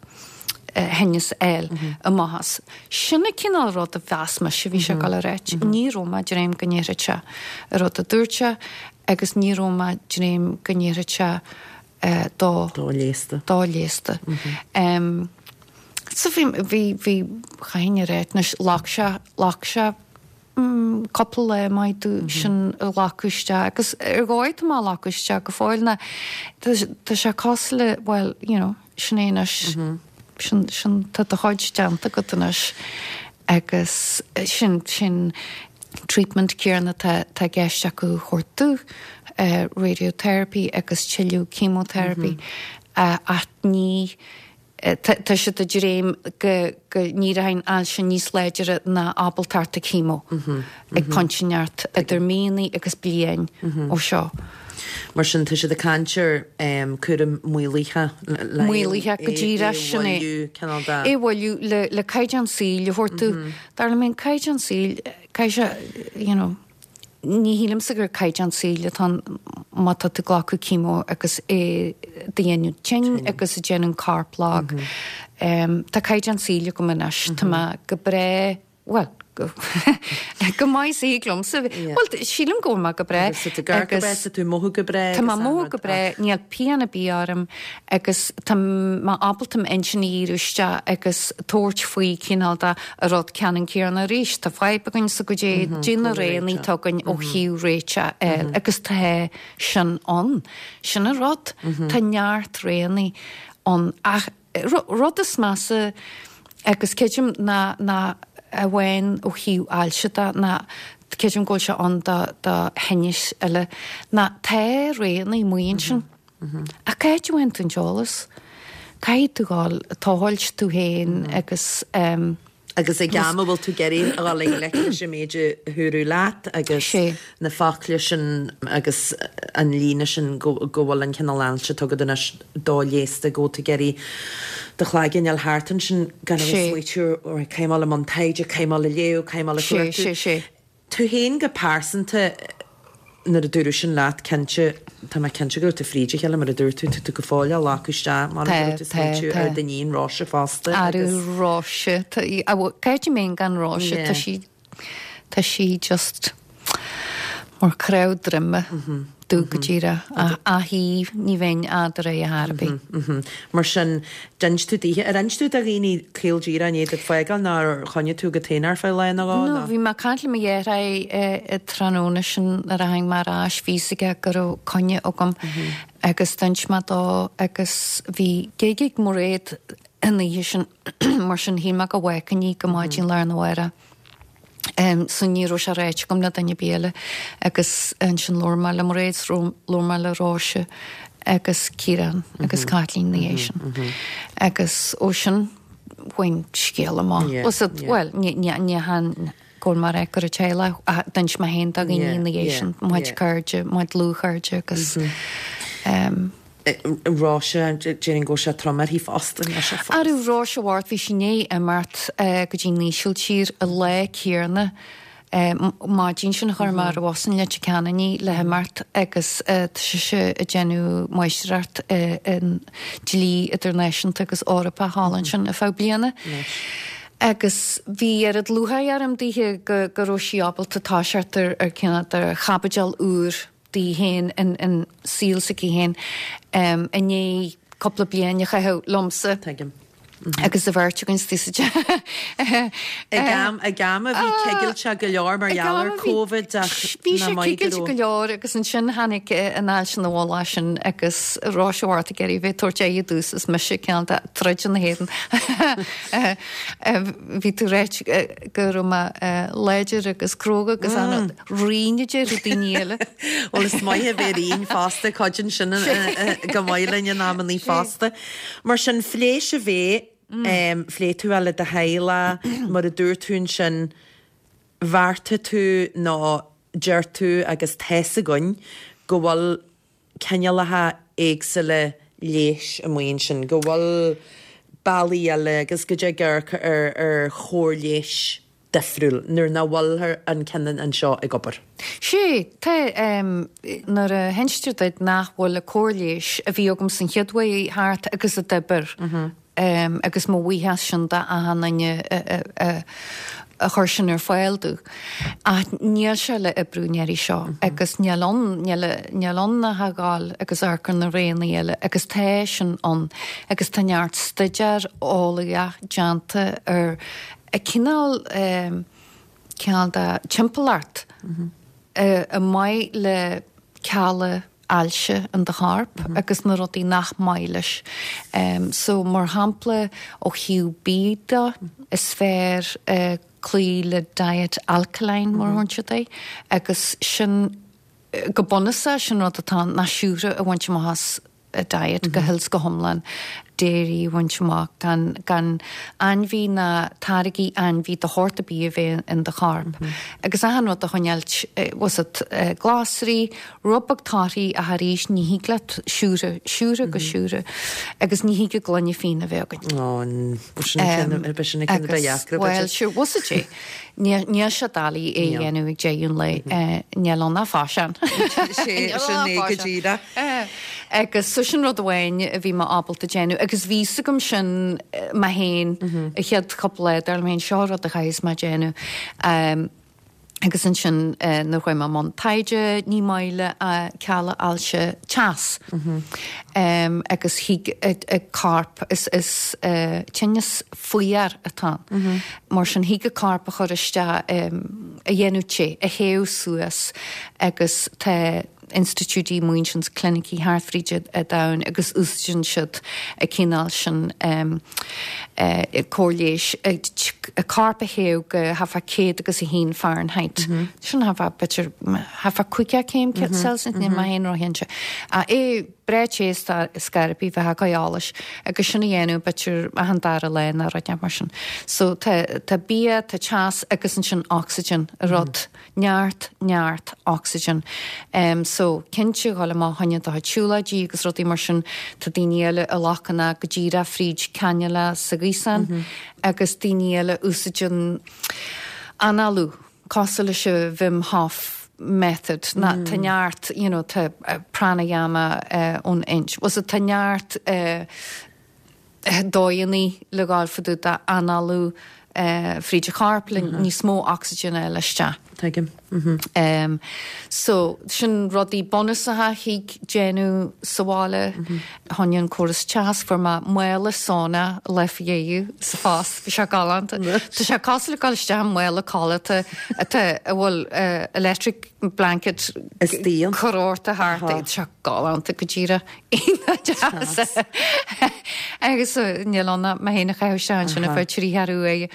thinneas a fháil amach as. Sin an cineál rud a mheas mise bhí sé ag dul a ráit. Ní raibh mé ag dréim go ndéarfadh sé an rud a dúirt sé agus ní raibh mé ag dréim go ndéarfadh sé do Do-leigheasta. Do-leigheasta. So bhí bhí bhí chaithfinn a ráit anois ghlac sé ghlac sé cúpla lá maith domh sin a ghlacadh isteach agus ar dhóigh tá mé á ghlacadh isteach go fóill ná tá sé cosúil le bhuel you know sin é anois sin sin tá do chuid déanta agat anois agus sin sin treatment céanna tá tá i gceist acu a thabhairt domh radiotherapy agus tuilleadh chemotherapy ach ní tá siad ag dréim go go n-éireoidh an ailse níos láidre ná ábaltacht chemo ag pointe inteacht idir míonna agus bliain ó seo. Mar sin tá siad ag caint ar cúram maolaithe le Maolaithe go díreach sin é. É a mhoilliú le le caighdeán saoil a thabhairt domh. Dar liom an caighdeán saoil caithfidh sé you know ní shílimse gur caighdeán saoil atá ann má tá tú ag glacadh chemo agus é do dhéanamh tinn agus a déanamh corp lag. Tá caighdeán saoil agam anois, tá mé go breá, bhuel, go go maith is a thig liomsa. Bhuel, sílim go bhfuil mé go breá. Agus tá tú ag amharc go breá, tá tú ag mothú go breá. Tá mé ag mothú go breá, níl pian ar bith orm agus tá mé ábalta m'intinn a dhíriú isteach agus tabhairt faoi cineál de an rud ceannann céanna arís. Tá fadhb againn so goidé goidé na roghanna atá againn ó thaobh réiteach a fháil agus tá sin ann. Sin an rud. Tá neart roghanna ann ach rud is measa agus creidim ná ná amháin ó thaobh ailse de ná creidim go bhfuil sé ann do do thinnis eile ná tá roghanna amuigh ansin. Ach cá háit a bhfaigheann tú an t-eolas? Caithfidh tú dhul ag tochailt tú féin agus ehm. Agus ag am a bhfuil tú ag iarraidh a dhul i ngleic leis an méid a dúradh leat agus na focla sin agus an líne sin go go bhfuil an cineál ailse atá agat anois do-leigheasta go bhfuil tú ag iarraidh do chloigeann a fháil thart ansin gan a bheith ag smaoitiú right caithfidh mé a dhul i mbun taighde, caithfidh mé a dhul ag léamh, caithfidh mé a dhul ag cuartú. Tú féin go pearsanta nuair a dúradh sin leat cinnte, tá mé cinnte go raibh tú fríd a chéile mar a dúirt tú, tá tú go fóill á ghlacadh isteach, m'anam go raibh tú ag smaoitiú ar d'iníon Róise fosta agus. Arú Róise, tá, cá háit a mbeinn gan Róise, tá sí, tá sí just mar chnámh droime domh go díreach. Ach í, ní bheinn eadar é ar bith. Mar sin, d'inis tú daoithe, ar inis tú do dhaoine caol díreach i ndiaidh duit fágáil nó ar choinnigh tú agat féin ar feadh lá nó dhó? No, bhí mé ag caint le mo dheartháir an tráthnóna sin nuair a tháinig mé ar ais, bhí fhios aige go raibh coinne agam agus d'inis mé dó agus bhí gig ag Mairéad an oíche sin mar sin shíl mé go bhfágfainn í go maidin lá arna mhárach. So ní raibh sé ráite agam le duine ar bith eile agus ansin labhair mé le Mairéad, labhair mé le Róise agus Ciarán agus Caitlín ina dhiaidh sin. Agus ó sin bhain scéal amach. Bhuel, ní han go bhfuil mé ag rá go raibh teaghlach ach d'inis mé féin do dhaoine ina dhiaidh sin, mo chuid cairde, mo chuid dlúthchairde agus. Róise, déarfainn go bhfuil sé trom uirthi fosta, níl sé fós. Arú Róise Mhart, bhí sí i ndiaidh imeacht go dtí an Ísiltír an lá céanna, maidin sin a chuir mé ar an bhus in Leitir Ceanainn í le himeacht agus tá sise ag déanamh máistreacht i ndlí idirnáisiúnta agus Eorpach thall ansin ar feadh bliana. Agus bhí oiread lúcháir orm daoithe go go raibh sí ábalta toiseacht ar ar cineál de chaibidil úr di féin in saol s'aici féin i ndiaidh cúpla bliain a chaitheamh liomsa. Tuigim. Agus an bheirt againn istigh sa teach. Ag am, ag am a bhí cigilteach go leor mar gheall ar Covid ach Bhí sé cigilte go leor agus ansin tháinig an ailse ina mhullach sin agus Róise Mhart ag iarraidh bheith ag tabhairt aghaidh domhsa is mise cineál de troid ina héadan. Bhí tú ráit go raibh mé láidir agus cróga agus an righin a déarfadh daoine eile. Bhuel is maith a bheith righin fosta, cuidíonn sin go maith linn in amannaí fosta. Mar sin phléigh sibh é, phléigh tú é le do theaghlach, mar a dúirt tú ansin, bheartaigh tú nó deir tú agus tá's againn go bhfuil cineálacha éagsúla leighis amuigh ansin, go bhfuil bealaí eile agus go dtig amharc ar ar chóir leighis difriúil nuair nach bhfuil an ceann anseo ag obair. Sé tá nuair a hinstear duit nach bhfuil an chóir leighis a bhí agam san chéad uair thart agus a d'oibir um, agus mo bhuíochas sin d'achan duine a chuir sin ar fáil domh. Ach níl sé le oibriú an iarraidh seo agus níl ann níl ann ach a ghabháil agus amharc ar na roghanna eile agus tá sin ann agus tá neart staidéar eolaíoch déanta ar a cineál um, cineál de timpeallacht a maith le cealla ailse in do chorp agus na rudaí nach maith leis. Um, so mar shampla ó thaobh bia de is fearr uh, cloí le diet alkaline mar a thugann siad é agus sin go bunúsach sin rud atá ná siúcra a bhaint amach as a diet go huile is go hiomlán dairy a bhaint amach gan, gan ainmhí ná táirgí ainmhí de shórt ar bith a bheith in do chorp. Agus achan rud a choinneáil was it uh, glasraí, rud beag torthaí ach arís ní thig leat siúcra, siúcra go siúcra, agus ní thig gloine fíona a bheith againn. Sin Well, sure, was it é? Níl sé doiligh é a dhéanamh ag deireadh an lae níl ann ach faisean. Sin é go díreach. Agus so sin rud amháin a bhí mé ábalta déanamh, agus bhí a fhios agam sin mé féin a chéad chúpla lá dar liom féin seo rud a chaithfidh mé déanamh. Um, agus ansin uh, nuair chuaigh mé i mbun taighde ní maith le a cealla ailse teas. Um, agus thig a corp is, is uh, tinneas fuar atá. Mar sin thig a corp a chur isteach um, a dhéanamh te, a théamh suas agus tá institiúidí múinsin clinicí thart fríd an domhan agus úsáideann siad a cineál sin um, uh, cóir leighis a corp a théamh go thart fá céad agus a haon Fahrenheit. Mm -hmm. Sin thart fá b'fhéidir thart fá caoga céim mm -hmm. Celsius ní má haon rohéinte. A é breté scarpí bheith goálas agus sin a dhéanamh b'fhéidir achan dara lá nó rud mar sin. So tá tá bia tá teas agus ansin oxygen a rud neart neart oxygen. Um, so cinnte gáil má haine do siúlóidí agus rudaí mar sin tá daoine eile a ghlacann go díreach fríd cannula sa ghaosán mm -hmm. agus daoine eile úsáideann análú cosúil leis an Wim Hof method na mm. tá neart you know, tá uh, pranayama uh, ón Ind. Was it tá neart uh, dóigheanna le gabháil fá dtaobh d'análú uh, fríd a chorp le mm -hmm. níos mó oxygen a isteach. Tuigim. Mm -hmm. Um, so sin rudaí bunúsacha thig déanamh sa bhaile mm -hmm. Tháinig an córas teas fuair mé mála sauna le dhéú sa fás bhí sé galánta. Tá sé cosúil le gabháil isteach mála codlata atá a bhfuil uh, electric blanket curtha ort thart sé galánta go díreach deas. Agus níl ann ach mé féin a chaitheamh isteach sin ar feadh trí cheathrú uaire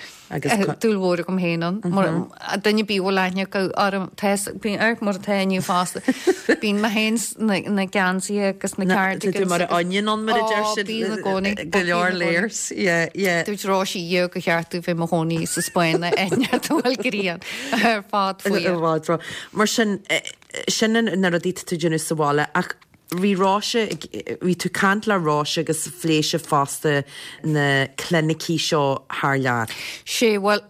dúil mhór agam féin ann. Duine bí bhfuil aithne orm bíonn ar mar atá inniu fosta. Bíonn mé féin na geansaithe agus na cardigans. mar onion an mar a deir siad bíonn i gcónaí. Go leor layers. Yeah, yeah. Dúirt Róise dhío go cheart tú bheith i mo chónaí sa Spáinn eithne bhfuil grian ar fad faoi. Mar sin sin na rudaí tú déanamh sa bhaile ach bhí Róise bhí tú caint le Róise agus phléigh sibh fosta na clinicí seo thar lear. Sé well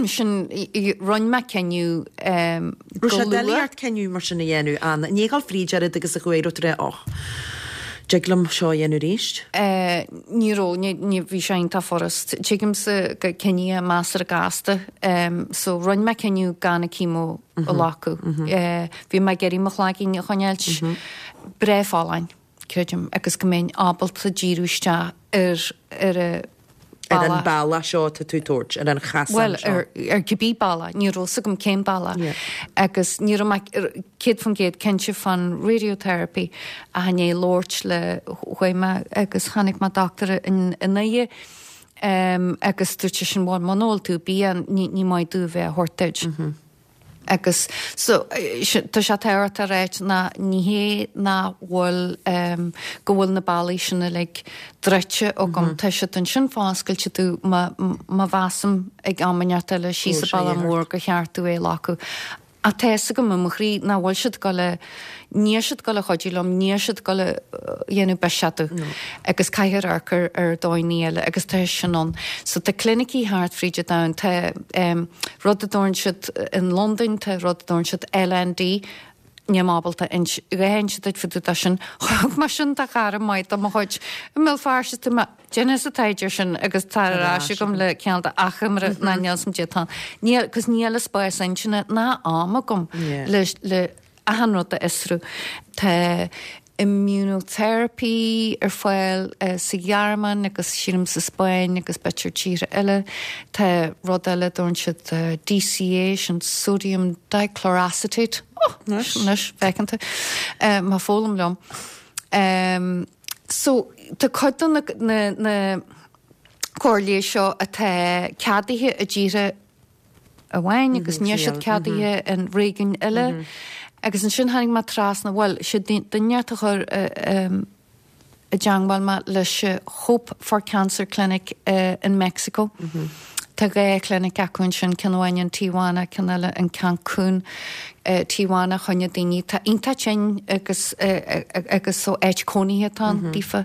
sin rinne mé cinneadh um, Raibh sé doiligh ort cinneadh mar sin a dhéanamh an ní gal fríd ar agus a chuaigh rá och. Dtig liom seo a dhéanamh arís? Uh, ní raibh ní bhí sé iontach furast. Tuigimse go cinneadh measartha gasta. Um, so rinne mé cinneadh gan a chemo a ghlacadh. Mm -hmm. uh, bhí mé ag iarraidh mo chloigeann a choinneáilt mm -hmm. breá folláin, creidim, agus go mbeinn ábalta díriú isteach ar ar a Ar an bealach seo tá tú tabhairt, ar an chasán Well, seo. ar, ar cibé bealach, ní raibh fhios agam cén bealach. Yeah. Agus ní raibh mé céad faoin gcéad cinnte fan radiotherapy a i ndiaidh labhairt le chuaigh mé agus chonaic mé doctor in i nDoire um, agus dúirt sé sin bhuel muna bhfuil tú bia ní, ní maith domh bheith a thabhairt duit. Mm -hmm. Agus so tá sé tábhachtach a ráit ná ní hé nach bhfuil um, go bhfuil na bealaí sin uilig druidte agam mm -hmm. Tá siad ansin foscailte domh má má mheasaim ag am inteacht eile síos Go sa sé bealach ort. mór gur cheart domh é a ghlacadh. Ach tá fhios agam i mo chroí nach bhfuil siad ag dul a, níl siad ag dul a chuidiú liom, níl siad ag dul a dhéanamh biseach domh. Agus caithfear amharc ar ar dóigheanna eile agus tá sin ann. So tá clinicí thart fríd an domhan, tá rud a dtabharann siad in Londain, tá rud a dtabharann siad LND, níl mé ábalta inse a dhath a inse duit fá dtaobh de sin. Thug mé sin do chara maith de mo chuid i mBéal Feirste, tá mé, déanfadsa taighde air sin agus tar ar ais agam le cineál de achoimre ná níl 's a'm tá. Níl, cos níl an spás intinne ná am agam le, le achan rud a fhiosrú. Tá immunotherapy ar fáil sa Ghearmáin agus sílim sa Spáinn agus b'fhéidir tíortha eile. Tá rud eile a dtabharann siad DCA, sin sodium dichloroacetate. Oh, anois, feiceann tú. Má foghlaim liom. So, tá cuid de na, na, na córais leighis seo atá ceadaithe i dtíortha amháin agus níl siad ceadaithe in réigiúin eile. Agus ansin tháinig mé trasna, bhuel, sé duine a chuir i dteangmháil mé leis Hope for Cancer Clinic in Mexico. Tá dhá chlinic acu ansin, ceann amháin in Tijuana, ceann eile in Cancún. Tijuana choinne daoine atá iontach tinn agus agus so áit cónaithe atá ann daofa.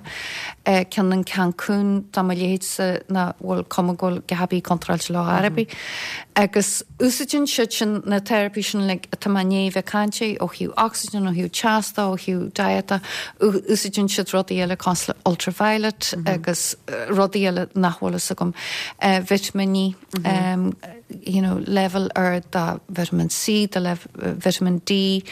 Ceann in Cancún do mo leithéidse nach bhfuil cuma go bhfuil a dhath ar bith contráilte leo ar bith. Agus úsáideann siad sin na teiripí sin like atá mé i ndiaidh bheith ag caint air ó thaobh oxygen, ó thaobh teas de, ó thaobh diet de. Úsáideann siad rudaí eile cosúil le ultraviolet agus rudaí eile nach bhfuil fhios agam. Vitiminí, you know, level ard de vitamin C, de vitamin D.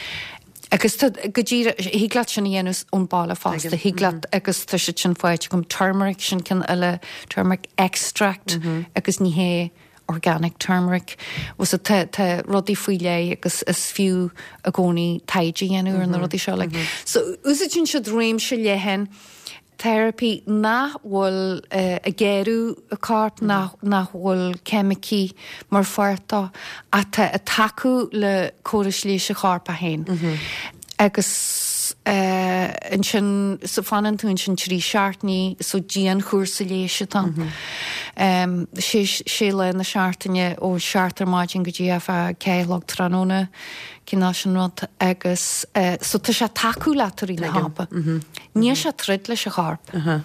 Agus tá go díreach, thig leat sin a dhéanamh ón baile fosta, thig leat agus tá siad sin faighte agam turmeric sin ceann eile, turmeric extract agus ní hé organic turmeric. So tá tá rudaí faoi leith agus is fiú i gcónaí taighde a dhéanamh ar na rudaí seo. Like. So úsáideann siad réimse leathan teiripí nach bhfuil ag géarú an choirp, nach nach bhfuil ceimicí mar pháirt dó, atá ag tacú le córas leighis an choirp féin. Agus ansin so fanann tú ansin trí seachtainí so dianchúrsa leighis atá ann. Sé sé lá na seachtaine ó seacht ar maidin go dtí a ceathair a chlog tráthnóna cineál sin rud agus so tá sé ag tacú leat i rith na hama. Níl sé ag troid leis an chorp.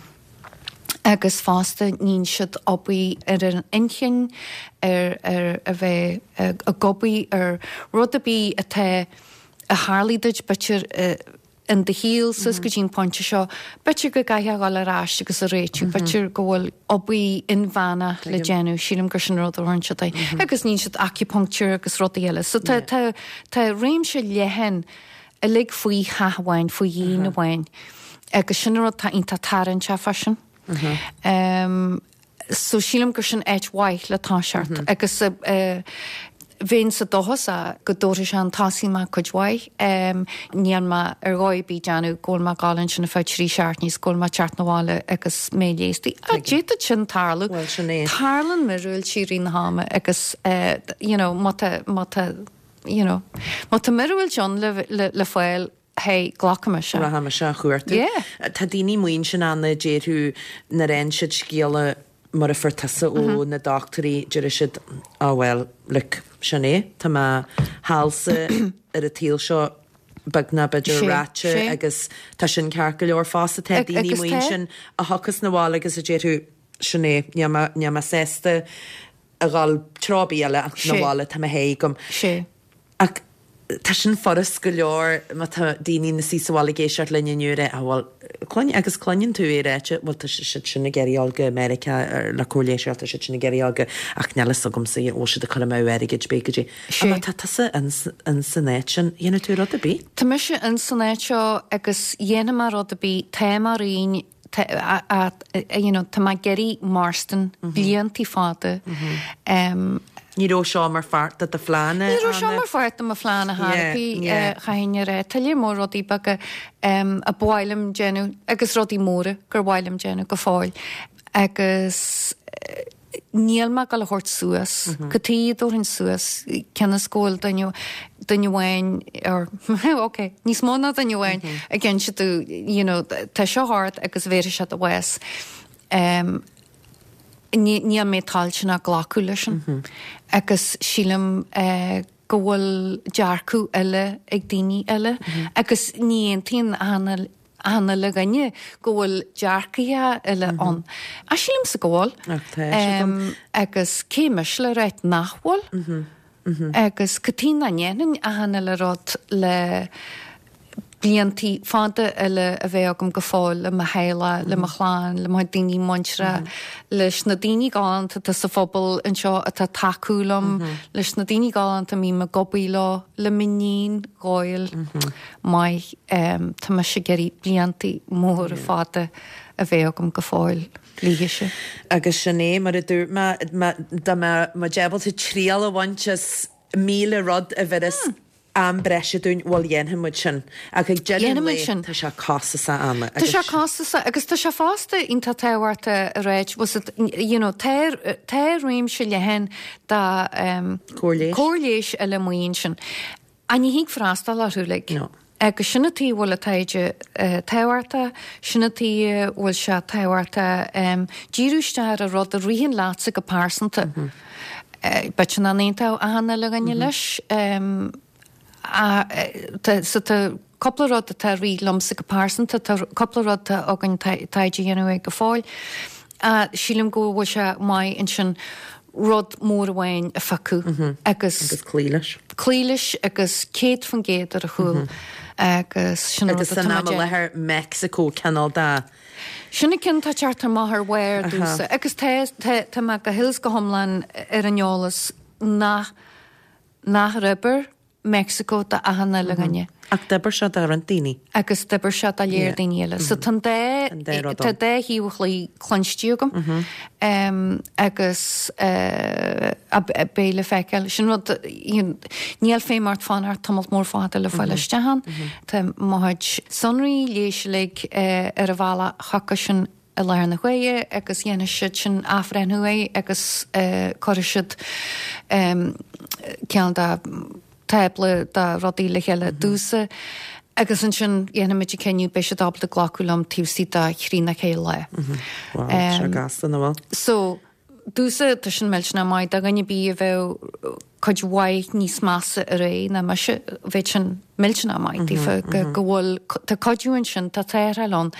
Agus fosta níonn siad obair ar an inchinn ar ar a bheith ag obair ar rud ar bith atá a tharlaigh duit b'fhéidir in do shaol suas go dtí an pointe seo, b'fhéidir go gcaithfeá a dhul ar ais agus a réitiú, b'fhéidir go bhfuil obair inmheánach le déanamh, sílim gur sin rud a thabharann siad é. Agus níonn siad acupuncture agus rudaí eile. So tá tá tá réimse leathan uilig faoi theach amháin, faoi dhíon amháin. Agus sin an rud atá iontach tarraingteach freisin. Um, so sílim gur sin áit mhaith le toiseacht agus uh, bheinn sa dóchas go dtabharfaidh sé an tosaí maith cuid mhaith. Níl mé ar dhóigh ar bith ag déanamh go bhfuil mé ag gabháil ansin ar feadh trí seachtainí is go bhfuil mé ag teacht 'na bhaile agus mé leigheasta. Ach d'fhéadfadh sin tarlú. Bhuel, sin é. Tarlaíonn míorúiltí i rith na hama agus you know má tá má tá you know má tá míorúilt ann le le le fáil hey glacaimis é. Rachaimis á chuartú. Yeah. Tá daoine amuigh ansin ann a déarfadh nuair a fhaigheann siad scéala mar a fuair tusa ó na dochtúirí, deir siad, oh well, look, sin é, tá mo sheal-sa ar an tsaol seo beagnach b'fhéidir ráite agus tá sin ceart go leor fosta. Tá daoine amuigh ansin a thiocfas 'na bhaile agus a déarfadh, sin é, níl mé, níl mé sásta a dhul treo ar bith eile ach 'na bhaile, tá mo sháith agam. Ach tá sin furast go leor má tá daoine ina suí sa bhaile ag éisteacht linn inniu a rá, ah bhuel, cluin, agus cluineann tú é ráite, bhuel tá siad sin ag iarraidh a dhul go Meiriceá le cóir leighis, tá siad sin ag iarraidh a dhul go, ach níl fhios agamsa, bhfuil siad ag cur amú airgid, b'fhéidir go dtí. Ach má tá tusa in san áit sin, dhéanfaidh tú rud ar bith? Tá mise in san áit seo agus dhéanfaidh mé rud ar bith, tá mé ar you know, tá mé ag iarraidh mairstin bliantaí fada. Ní raibh seo mar pháirt de do phlean, Ní raibh seo mar pháirt de mo phlean a thairfí chaithfinn a rá. Tá lear mór rudaí beaga a ba mhaith liom déanamh agus rudaí móra gur mhaith liom déanamh go fóill. Agus níl mé ag dul a thabhairt suas. Cad chuige a dtabharfainn suas cionn is go bhfuil duine duine amháin or ok, níos mó ná duine amháin ag inse domh you know tá seo ort agus bhéarfaidh sé do bhás. Um, níl mé toilteanach glacadh leis sin. Agus sílim uh, go bhfuil dearcadh eile ag daoine eile agus ní aontaíonn achan achan uile dhuine go bhfuil dearcaithe eile ann. A sílimse go bhfuil. Ach tá siad ann. Em, agus cé mise le ráit nach bhfuil. Agus cad chuige nach ndéanfainn achan uile rud le bliantaí fada eile a bheith agam go fóill le mo theaghlach, le mo chlann, le mo daoine muinteartha, leis na daoine galánta atá sa phobal anseo atá tacú liom, leis na daoine galánta a mbím ag obair leo, le m'iníon dhóil maith um, tá mise ag iarraidh bliantaí móra fada a bheith agam go fóill léise. Agus sin é mar a dúirt mé dá mbeadh muid ábalta triail a bhaint as míle rud a bhéarfas am breise dúinn bhuel dhéanfaidh muid sin. Ach ag deireadh an Dhéanfaidh muid lae, sin. tá sé costasach Anna. Tá sé costasach agus tá sé fosta iontach tábhachtach a ráit was it, you know, tá tá réimse leathan da um, Cóir leighis. cóir leighis eile amuigh ansin. A ní thig freastal orthu like. No. Agus sin an tuige bhfuil an taighde uh, tábhachtach, sin an tuige bhfuil sé tábhachtach um, díriú isteach ar rud a ritheann leatsa go pearsanta. Mm -hmm. uh, B'fhéidir nach n-aontódh achan uile dhuine leis. Um, a, eh, tá- so tá cúpla rud atá ag rith liomsa go pearsanta, tá cúpla rud atá againn taighde a dhéanamh ag go fóill. Uh, sílim go bhfuil sé maith ansin rud mór amháin a phiocadh agus Agus cloí leis. cloí leis agus céad faoin gcéad ar a chúl agus sin Agus san am i láthair Mexico cineál de Sin an ceann atá teacht amach ar bharr domhsa agus tá tá tá mé go huile is go hiomlán ar an eolas nach nach oibreoidh Mexico do achan uile dhuine. Ach d'oibir sé do roinnt daoine. agus d'oibir sé do leor Yeah. daoine eile. So tá dá An dá rud tá ann. dá thaobh an chluiche cluinste agam um, agus uh, beidh le feiceáil sin rud you know, níl féim ort fanacht tamall mór fada le fáil isteach ann. Tá mo chuid sonraí leighis uilig uh, ar a bhealach chucu sin i láthair na huaire agus dhéanfaidh siad sin athbhreithniú é agus uh, cuirfidh siad um, ceann de tábla de rudaí le chéile domhsa. Agus ansin dhéanfaimid an cinneadh beidh siad ábalta glacadh liom taobh istigh de thrí nó ceithre lá. Wow, sé gasta na bhfuil. So domhsa tá sin millteanach maith do dhuine ar bith a bheadh cuid mhaith níos measa ar é ná mise bheadh sin millteanach maith daofa go go bhfuil tá cuidiú ansin tá tarrtháil ann.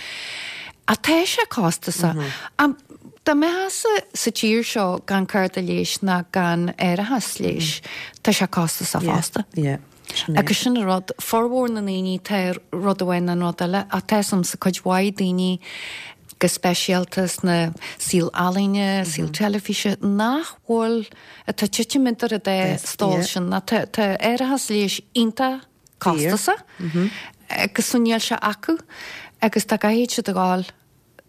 A tá sé costasach. Am Dá mbeifeása sa tír seo gan cárta leighis ná gan árachas leighis, tá sé costasach fosta. Yeah. Sin é. Agus sin an rud formhór na ndaoine tá rud amháin an rud eile a tá sam sa cuid mhaith daoine go speisialta sna saol ealaíne, saol teilifíse nach bhfuil atá titim idir an dá stól yeah. sin na tá tá árachas leighis iontach costasach agus so níl sé acu agus tá caithfidh siad a ghabháil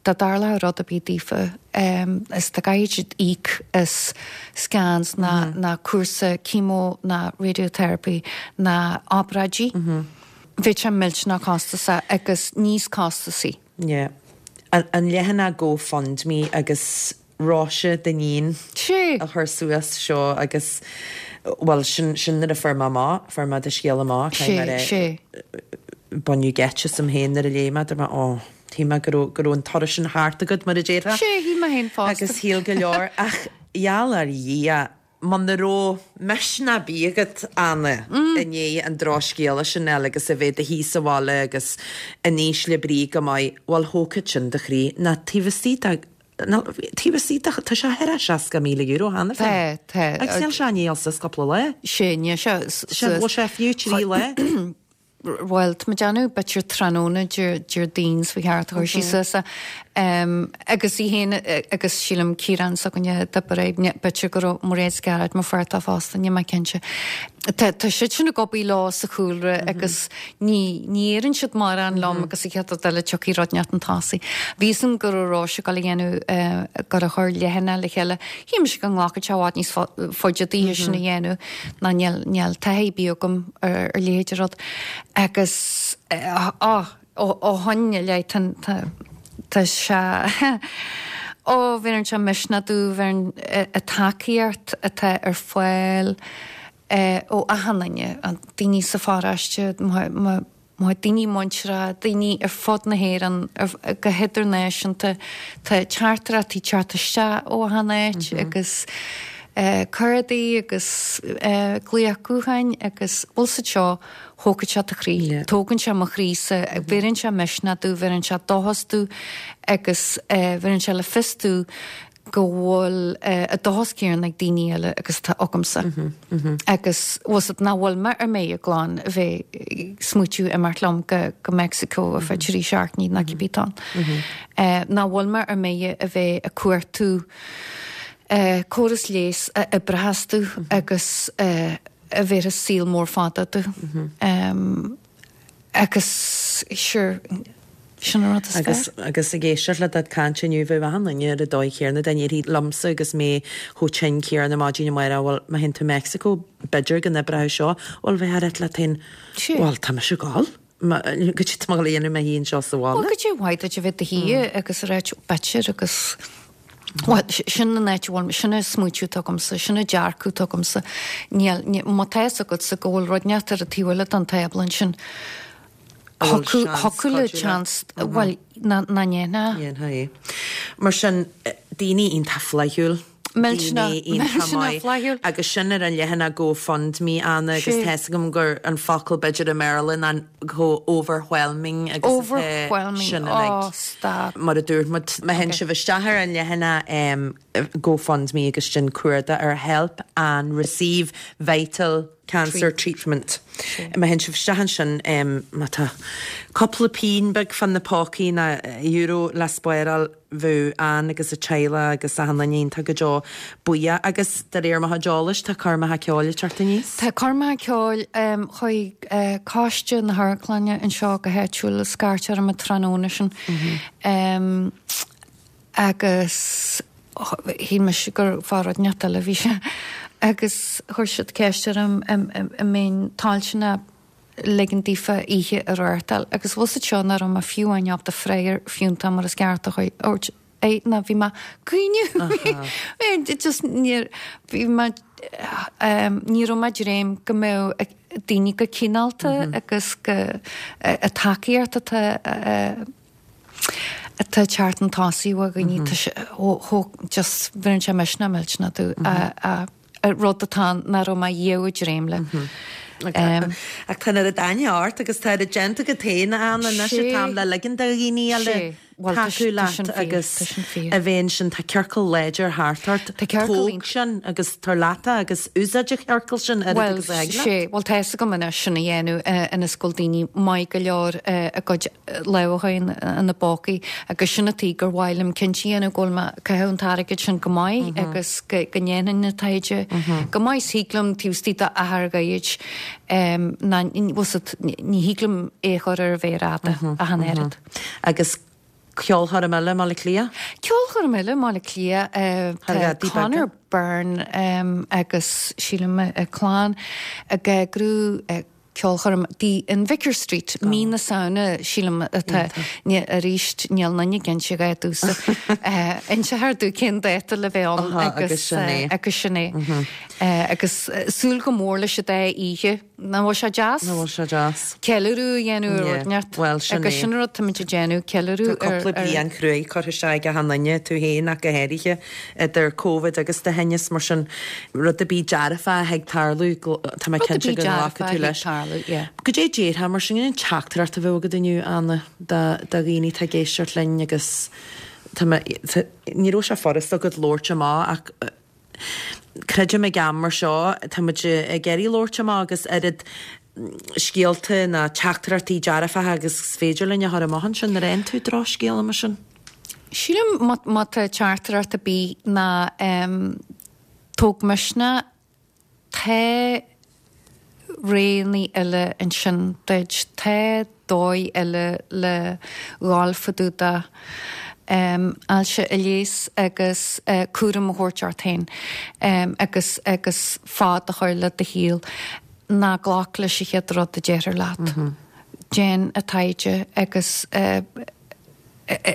dá dtarlódh rud ar bith daofa um, is tá caithfidh siad íoc as scans ná, mm -hmm. ná cúrsa chemo ná radiotherapy ná obráidí. Mm -hmm. Bheadh sé millteanach costasach agus níos costasaí. Yeah. An, an leathanach GoFundMe agus Róise d'iníon Sé. a chur suas seo agus well sin sin nuair a fuair mé amach fuair mé do scéal amach Sé, sé. Baineadh geit asam féin nuair a léigh mé mé ó Tí mé go raibh go raibh an turas sin thart agat mar a déarfá. Sé shíl mé féin fosta. Agus shíl go leor ach gheall ar Dhia muna raibh misneach ar bith agat Anna i ndiaidh an drochscéala sin eile agus a bheith i do shuí sa bhaile agus in ísle brí go maith bhfuil thógfadh sin do chroí ná taobh istigh de ná taobh istigh de tá sé thar seasca míle euro cheana féin. Tá, tá. Agus níl sé níl sa cúpla lá. Sé ní sé Sé bhfuil sé fiú trí lá. Well, tá mé déanamh b'fhéidir tráthnóna Déardaoin sa cheart chuir sí suas um, agus í héin agus sílim Ciarán s'againne d'oibir b'fhéidir go raibh Mairéad Scarrett mo feartá fosta ní mé cinnte. Tá tá siad sin ag obair lá sa chúlra agus ní ní éireann siad mar an liom agus i chead eile tiocfaidh rud inteacht chun tosaigh. Bhí san go raibh sé go dhéanamh gur a chur leathanach le chéile, Shíl mise go nglacfadh sé i bhfad níos faide daoithe sin a dhéanamh ná níl níl taithí ar bith agam ar ar leithéid rud. Agus á ó shin i leith tá sé ó bheireann sé misneach domh bheireann an tacaíocht atá ar fáil ó achan duine an daoine sa pharóiste má daoine muinteartha, daoine ar fud na hÉireann go hidirnáisiúnta tá teachtaireachtaí teacht isteach ó achan áit agus Cártaí agus glaoch gutháin agus bhfuil siad seo thógfaidh sé do chroí. Tógann sé mo chroísa, bheireann sé misneach domh, bheireann sé dóchas domh agus bheireann sé le fios domh go bhfuil an dóchas céanna ag daoine eile agus atá agamsa. Agus bhfuil siad nach bhfuil mé ar mé glan a bheith ag smaoitiú imeacht liom go go Mexico ar feadh trí seachtainí nó cibé atá ann. Nach bhfuil mé ar mé a bheith ag cuartú córas leighis a oibreochas domh agus a bhéarfas saol mór fada domh. Agus sure, sin an rud is Agus fearr. agus ag éisteacht le do chaint inniu bheadh achan duine ar an dóigh chéanna dá ndéarfaí liomsa agus mé chomh tinn céanna maidin amárach bhuel má théann tú Mexico b'fhéidir go n-oibreoidh seo bhuel bheifeá ag ráit leat féin Sea. bhuel tá mise ag gabháil. Goidé tá mé a dhéanamh i mo shuí anseo sa Bhuel bhaile. goidé mhaith duit a bheith i do shuí agus a ráit b'fhéidir agus Bhuel sin an áit a bhfuil sin an smaoitiú atá agamsa, sin an dearcadh atá agamsa. Níl má tá fhios agatsa go bhfuil rud inteacht ar an taobh eile den tábla ansin. A bhfuil seans Thiocfadh le cuidiú leat. seans bhuel ná ná ndéanfá. Dhéanfá é. Mar sin daoine iontach flaithiúil. Millteanach daoine iontach millteanach maith. flaithiúil. Agus sin ar an leathanach GoFundMe Anna agus Sé. tá fhios agam gur an focal b'fhéidir i mBéarla ná chomh overwhelming agus atá Overwhelming. sin Oh, uilig. stop. Mar a dúirt muid má théann sibh isteach ar an leathanach um, GoFundMe agus sin cuardaigh ar help and receive vital cancer treatment. Má théann sibh isteach ansin um, má tá cúpla pingin beag fan na pócaí na euro le spáráil bheadh Ann agus a teaghlach agus achan duine iontach go deo buíoch agus de réir mo chuid eolais tá coirmeacha ceoil ag teacht aníos. Tá coirmeacha ceoil um, chuig uh, Coiste na hAmharclainne anseo go háitiúil scairt orm an tráthnóna sin. Um, agus shíl mise gur fá rud inteacht eile bhí sé. Agus chuir siad ceist orm an mbeinn toilteanach ligean daofa oíche a reáchtáil agus bhfuil siad seo nach raibh mé fiú amháin ábalta freagra fiúntach mar is ceart a thabhairt é ná bhí mé caoineadh. Just níor bhí mé um, ní raibh mé ag dréim go mbeadh daoine go cineálta agus go a tacaíocht atá atá teacht chun tosaigh ó dhaoine just bheireann sé misneach millteanach domh a rud atá nach raibh mé riamh ag dréim le. Ach tá na daine ort agus tá a déanta agat féin Ann anois Sé. atá le ligean do dhaoine eile Sé. Bhuel, tá tacú sin- tá leat sin fíor, agus tá sin fíor. a bhéon sin tá ciorcal láidir thart ort Tá ciorcal tóg sin agus tar leat agus úsáid an ciorcal sin ar Well agus ag leat. sé, well tá go mna sin a dhéanamh ina scoil daoine maith go leor a gcuid lámhachain ina bpócaí agus sin atí gur mhaith liom cinnte a dhéanamh go bhfuil mé ag caitheamh an t-airgead sin go maith agus go go ndéanann na taighde go maith thig liom taobh istigh d'achar gairid ná ní thig liom é chur ar a mhéar fhada ach an oiread. Agus ceolchoirm eile i mBaile Átha Cliath? Ceolchoirm eile i mBaile Átha Cliath Thar tá gadaí Conor Byrne um, agus sílim a clann ag eagrú ceolchoirm dí in Vicar Street mí na Samhna sílim atá arís níl aon duine cinnte go dtús inseofar dúinn cén dáta le bheith ann Aha, agus sin é. agus sin é. Agus súil go mór leis an dá oíche nach bhfuil sé deas? Nach bhfuil sé deas. Ceiliúradh a dhéanamh ar Yeah, rud inteacht. well, sin agus é. sin rud táimid ag déanamh ceiliúradh Tá cúpla bliain cruaidh curtha isteach ag achan duine tú féin ach go háirithe idir COVID agus do thinneas mar sin rud a bí dearfa ag tarlú tá mé Rud a cinnte bí go dearfa nglacfaidh tú ag leis. tarlú, yeah. Goidé déarfá mar sin an teachtaireacht a bheadh agat inniu Anna do do dhaoine atá ag éisteacht linn agus tá mé- tá- ní raibh sé furasta agat labhairt amach ach eh, creidim ag am mar seo tá muid ag iarraidh labhairt amach agus oiread scéalta na teachtaireachtaí dearfacha agus is féidir linn a chur amach ansin nuair a fhaigheann tú drochscéal mar sin. Sílim má má tá teachtaireacht ar bith ná um, tóg misneach tá roghanna eile ansin duit tá dóigh eile le dhul fá dtaobh de um, ailse a leigheas agus uh, cúram a thabhairt ort féin um, agus agus fad a chur le do shaol ná glac leis an chéad rud a deirtear leat. Mm -hmm. Déan an taighde agus uh,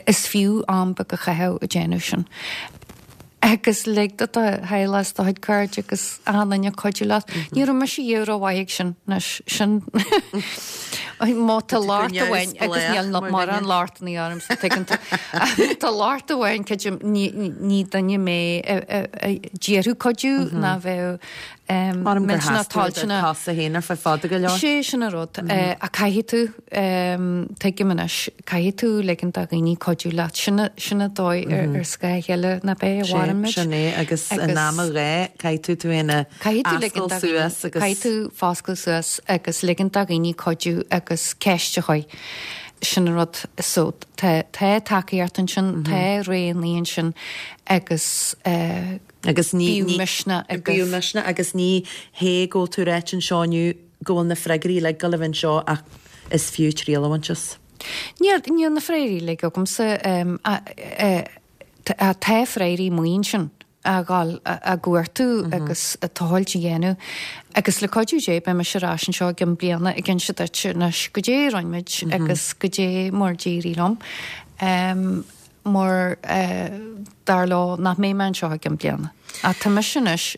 is fiú am beag a chaitheamh ag déanamh sin. Agus lig do do theaghlach do chuid cairde agus achan duine cuidiú leat. Ní raibh mise riamh rómhaith ag sin anois sin. Má tá locht amháin agus níl mórán lochtanna orm so tuigeann tú. Tá locht amháin creidim ní duine mé a d'iarrfadh cuidiú ná bheadh millteanach toilteanach. Cosa féin ar feadh fada go leor. Sé sin an rud. Ach caithfidh tú, tuigim anois, caithfidh tú ligint do dhaoine cuidiú leat. Sin sin an dóigh ar scáth a chéile ná b'é a mhaireann muid. Sin é agus in am a ghá caithfidh tú tú féin a ascaill suas agus. Caithfidh tú foscladh suas agus ligint do dhaoine cuidiú agus ceist a chur. Sin an rud. So tá tá tacaíocht ansin, tá roghanna ansin agus Agus ní bíodh misneach agus. Bíodh misneach agus ní hé go bhfuil tú ráite anseo inniu go bhfuil na freagraí uilig ag dul a bheith anseo ach is fiú triail a bhaint as. Níl níl na freagraí uilig agamsa tá freagraí amuigh ansin a dhul a gcuartú agus a tochailt a dhéanamh. Agus le cuidiú Dé beidh mise ar ais anseo i gcionn bliana ag inse duit anois goidé a rinne muid agus goidé mar d'éirigh liom. Mar dar leo nach mbeidh mé anseo i gcionn bliana. Ach tá mise anois.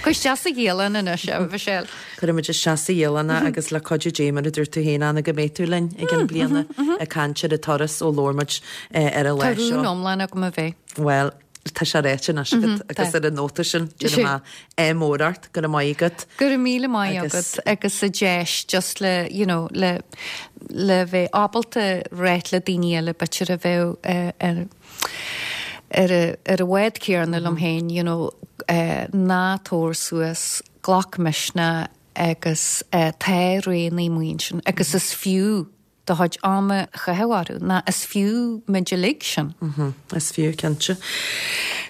Cuir isteach sa dhialann anois, a Mhichelle. Cuirfimid isteach sa dhialann é agus le cuidiú Dé mar a dúirt tú féin, Anna, go mbeidh tú linn i gcionn bliana ag caint ar an turas ó labhair muid ar an lá Tá seo. rún iomlán agam a bheith. Bhuel, tá sé ráite anois agat agus ar an nóta sin, déanfaidh mé ádh mór ort, go raibh maith agat. Go raibh míle maith agat agus an deis just le, you know, le le bheith ábalta ráit le daoine eile b'fhéidir a bheadh ar ar ar an bhád céanna liom féin, you know, ná tabhair suas, glac misneach agus tá roghanna amuigh ansin agus is fiú do chuid ama a chaitheamh orthu, ná is fiú muid uilig sin. Is fiú, cinnte.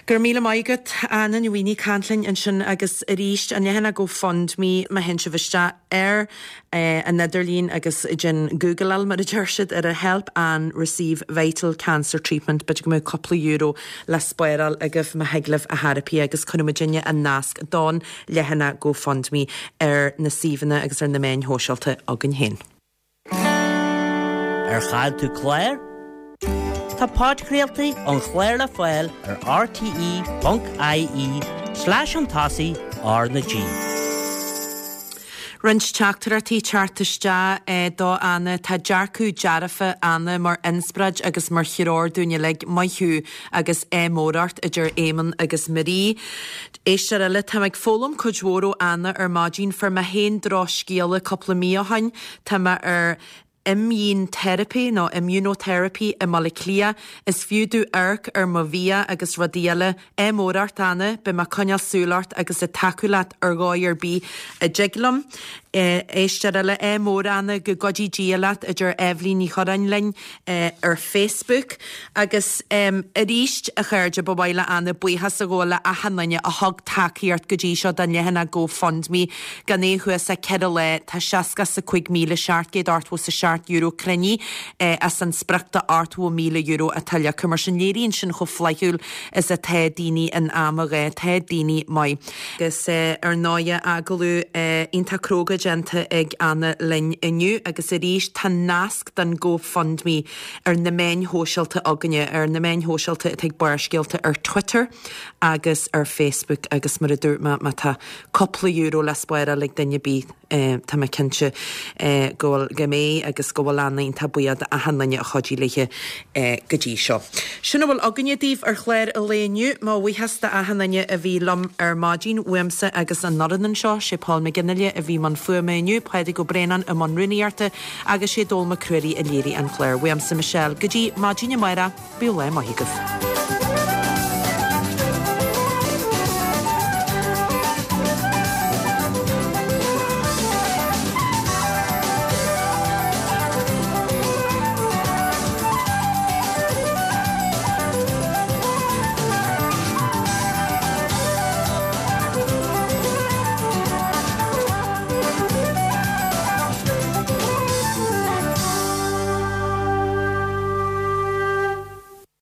Go raibh míle maith agat, Anna Ní Mhaonaigh, caint linn ansin agus arís an leathanach GoFundMe má théann sibh isteach ar an idirlíon agus déan Googleáil mar a deir siad ar a Help Anne Receive Vital Cancer Treatment b'fhéidir go mbeadh cúpla euro le spáráil agaibh má thig libh a theiripí agus cuirfidh muidinne an nasc don leathanach GoFundMe ar na suíomhanna agus ar na meáin shóisialta againn féin. Ar chaill tú clár? Tá podchraoltaí an chláir le fáil ar rte ponc ie slash an tosaigh R na G. Roinnt teachtaireachtaí teacht isteach do Anna. Tá dearcadh dearfa Anna mar inspioráid agus mar threoir dúinn uilig. Maith thú agus ádh mór ort, a deir Éamonn agus Marie. Éisteoir eile, Táim ag foghlaim cuid mhór ó Anna ar maidin. Fuair mé féin drochscéala cúpla mí ó shin. Tá mé ar imdhíonteiripe nó immunotherapy i mBaile Átha Cliath. Is fiú domh amharc ar mo bhia agus rudaí eile. Ádh mór ort, Anna, beidh mé ag coinneáil súil ort agus ag tacú leat ar dhóigh ar bith a dtig liom. Éisteoir eile, Ádh mór, Anna, go gcuidí Dia leat, a deir Eibhlín Ní Churráin linn ar Facebook. Agus arís, a chairde, ba mhaith le Anna buíochas a ghabháil le achan duine a thug tacaíocht go dtí seo don leathanach GoFundMe. Gan é thuas ach ceithre lá, tá seasca is a cúig míle seacht gcéad ochtó is a seacht euro cruinnithe as an sprioc de ochtó míle euro atá leagtha. Mar sin léiríonn sin chomh flaithiúil is atá daoine in am a ghá, tá daoine maith. Agus ar ndóigh agallamh iontach cróga déanta ag Anna linn inniu agus arís tá nasc don GoFundMe ar na meáin shóisialta againne, ar na meáin shóisialta atá ag Barrscéalta ar Twitter agus ar Facebook agus mar a dúirt mé má tá cúpla euro le spáráil ag duine ar bith tá mé cinnte go bhfuil go mbeidh agus go bhfuil Anna iontach buíoch d'achan duine a chuidigh léi go dtí seo. Sin a bhfuil againne daoibh ar chlár an lae inniu. Mo bhuíochas d'achan duine a bhí liom ar maidin, uaimse agus an fhoireann anseo, sé Paul McGinley a bhí i mbun fuaime inniu, Pádraig Ó Braonáin i mbun rúnaíochta agus sé Dól Mac Ruairí a léirigh an clár. Uaimse Michelle go dtí maidin amárach, bíodh lá maith agaibh.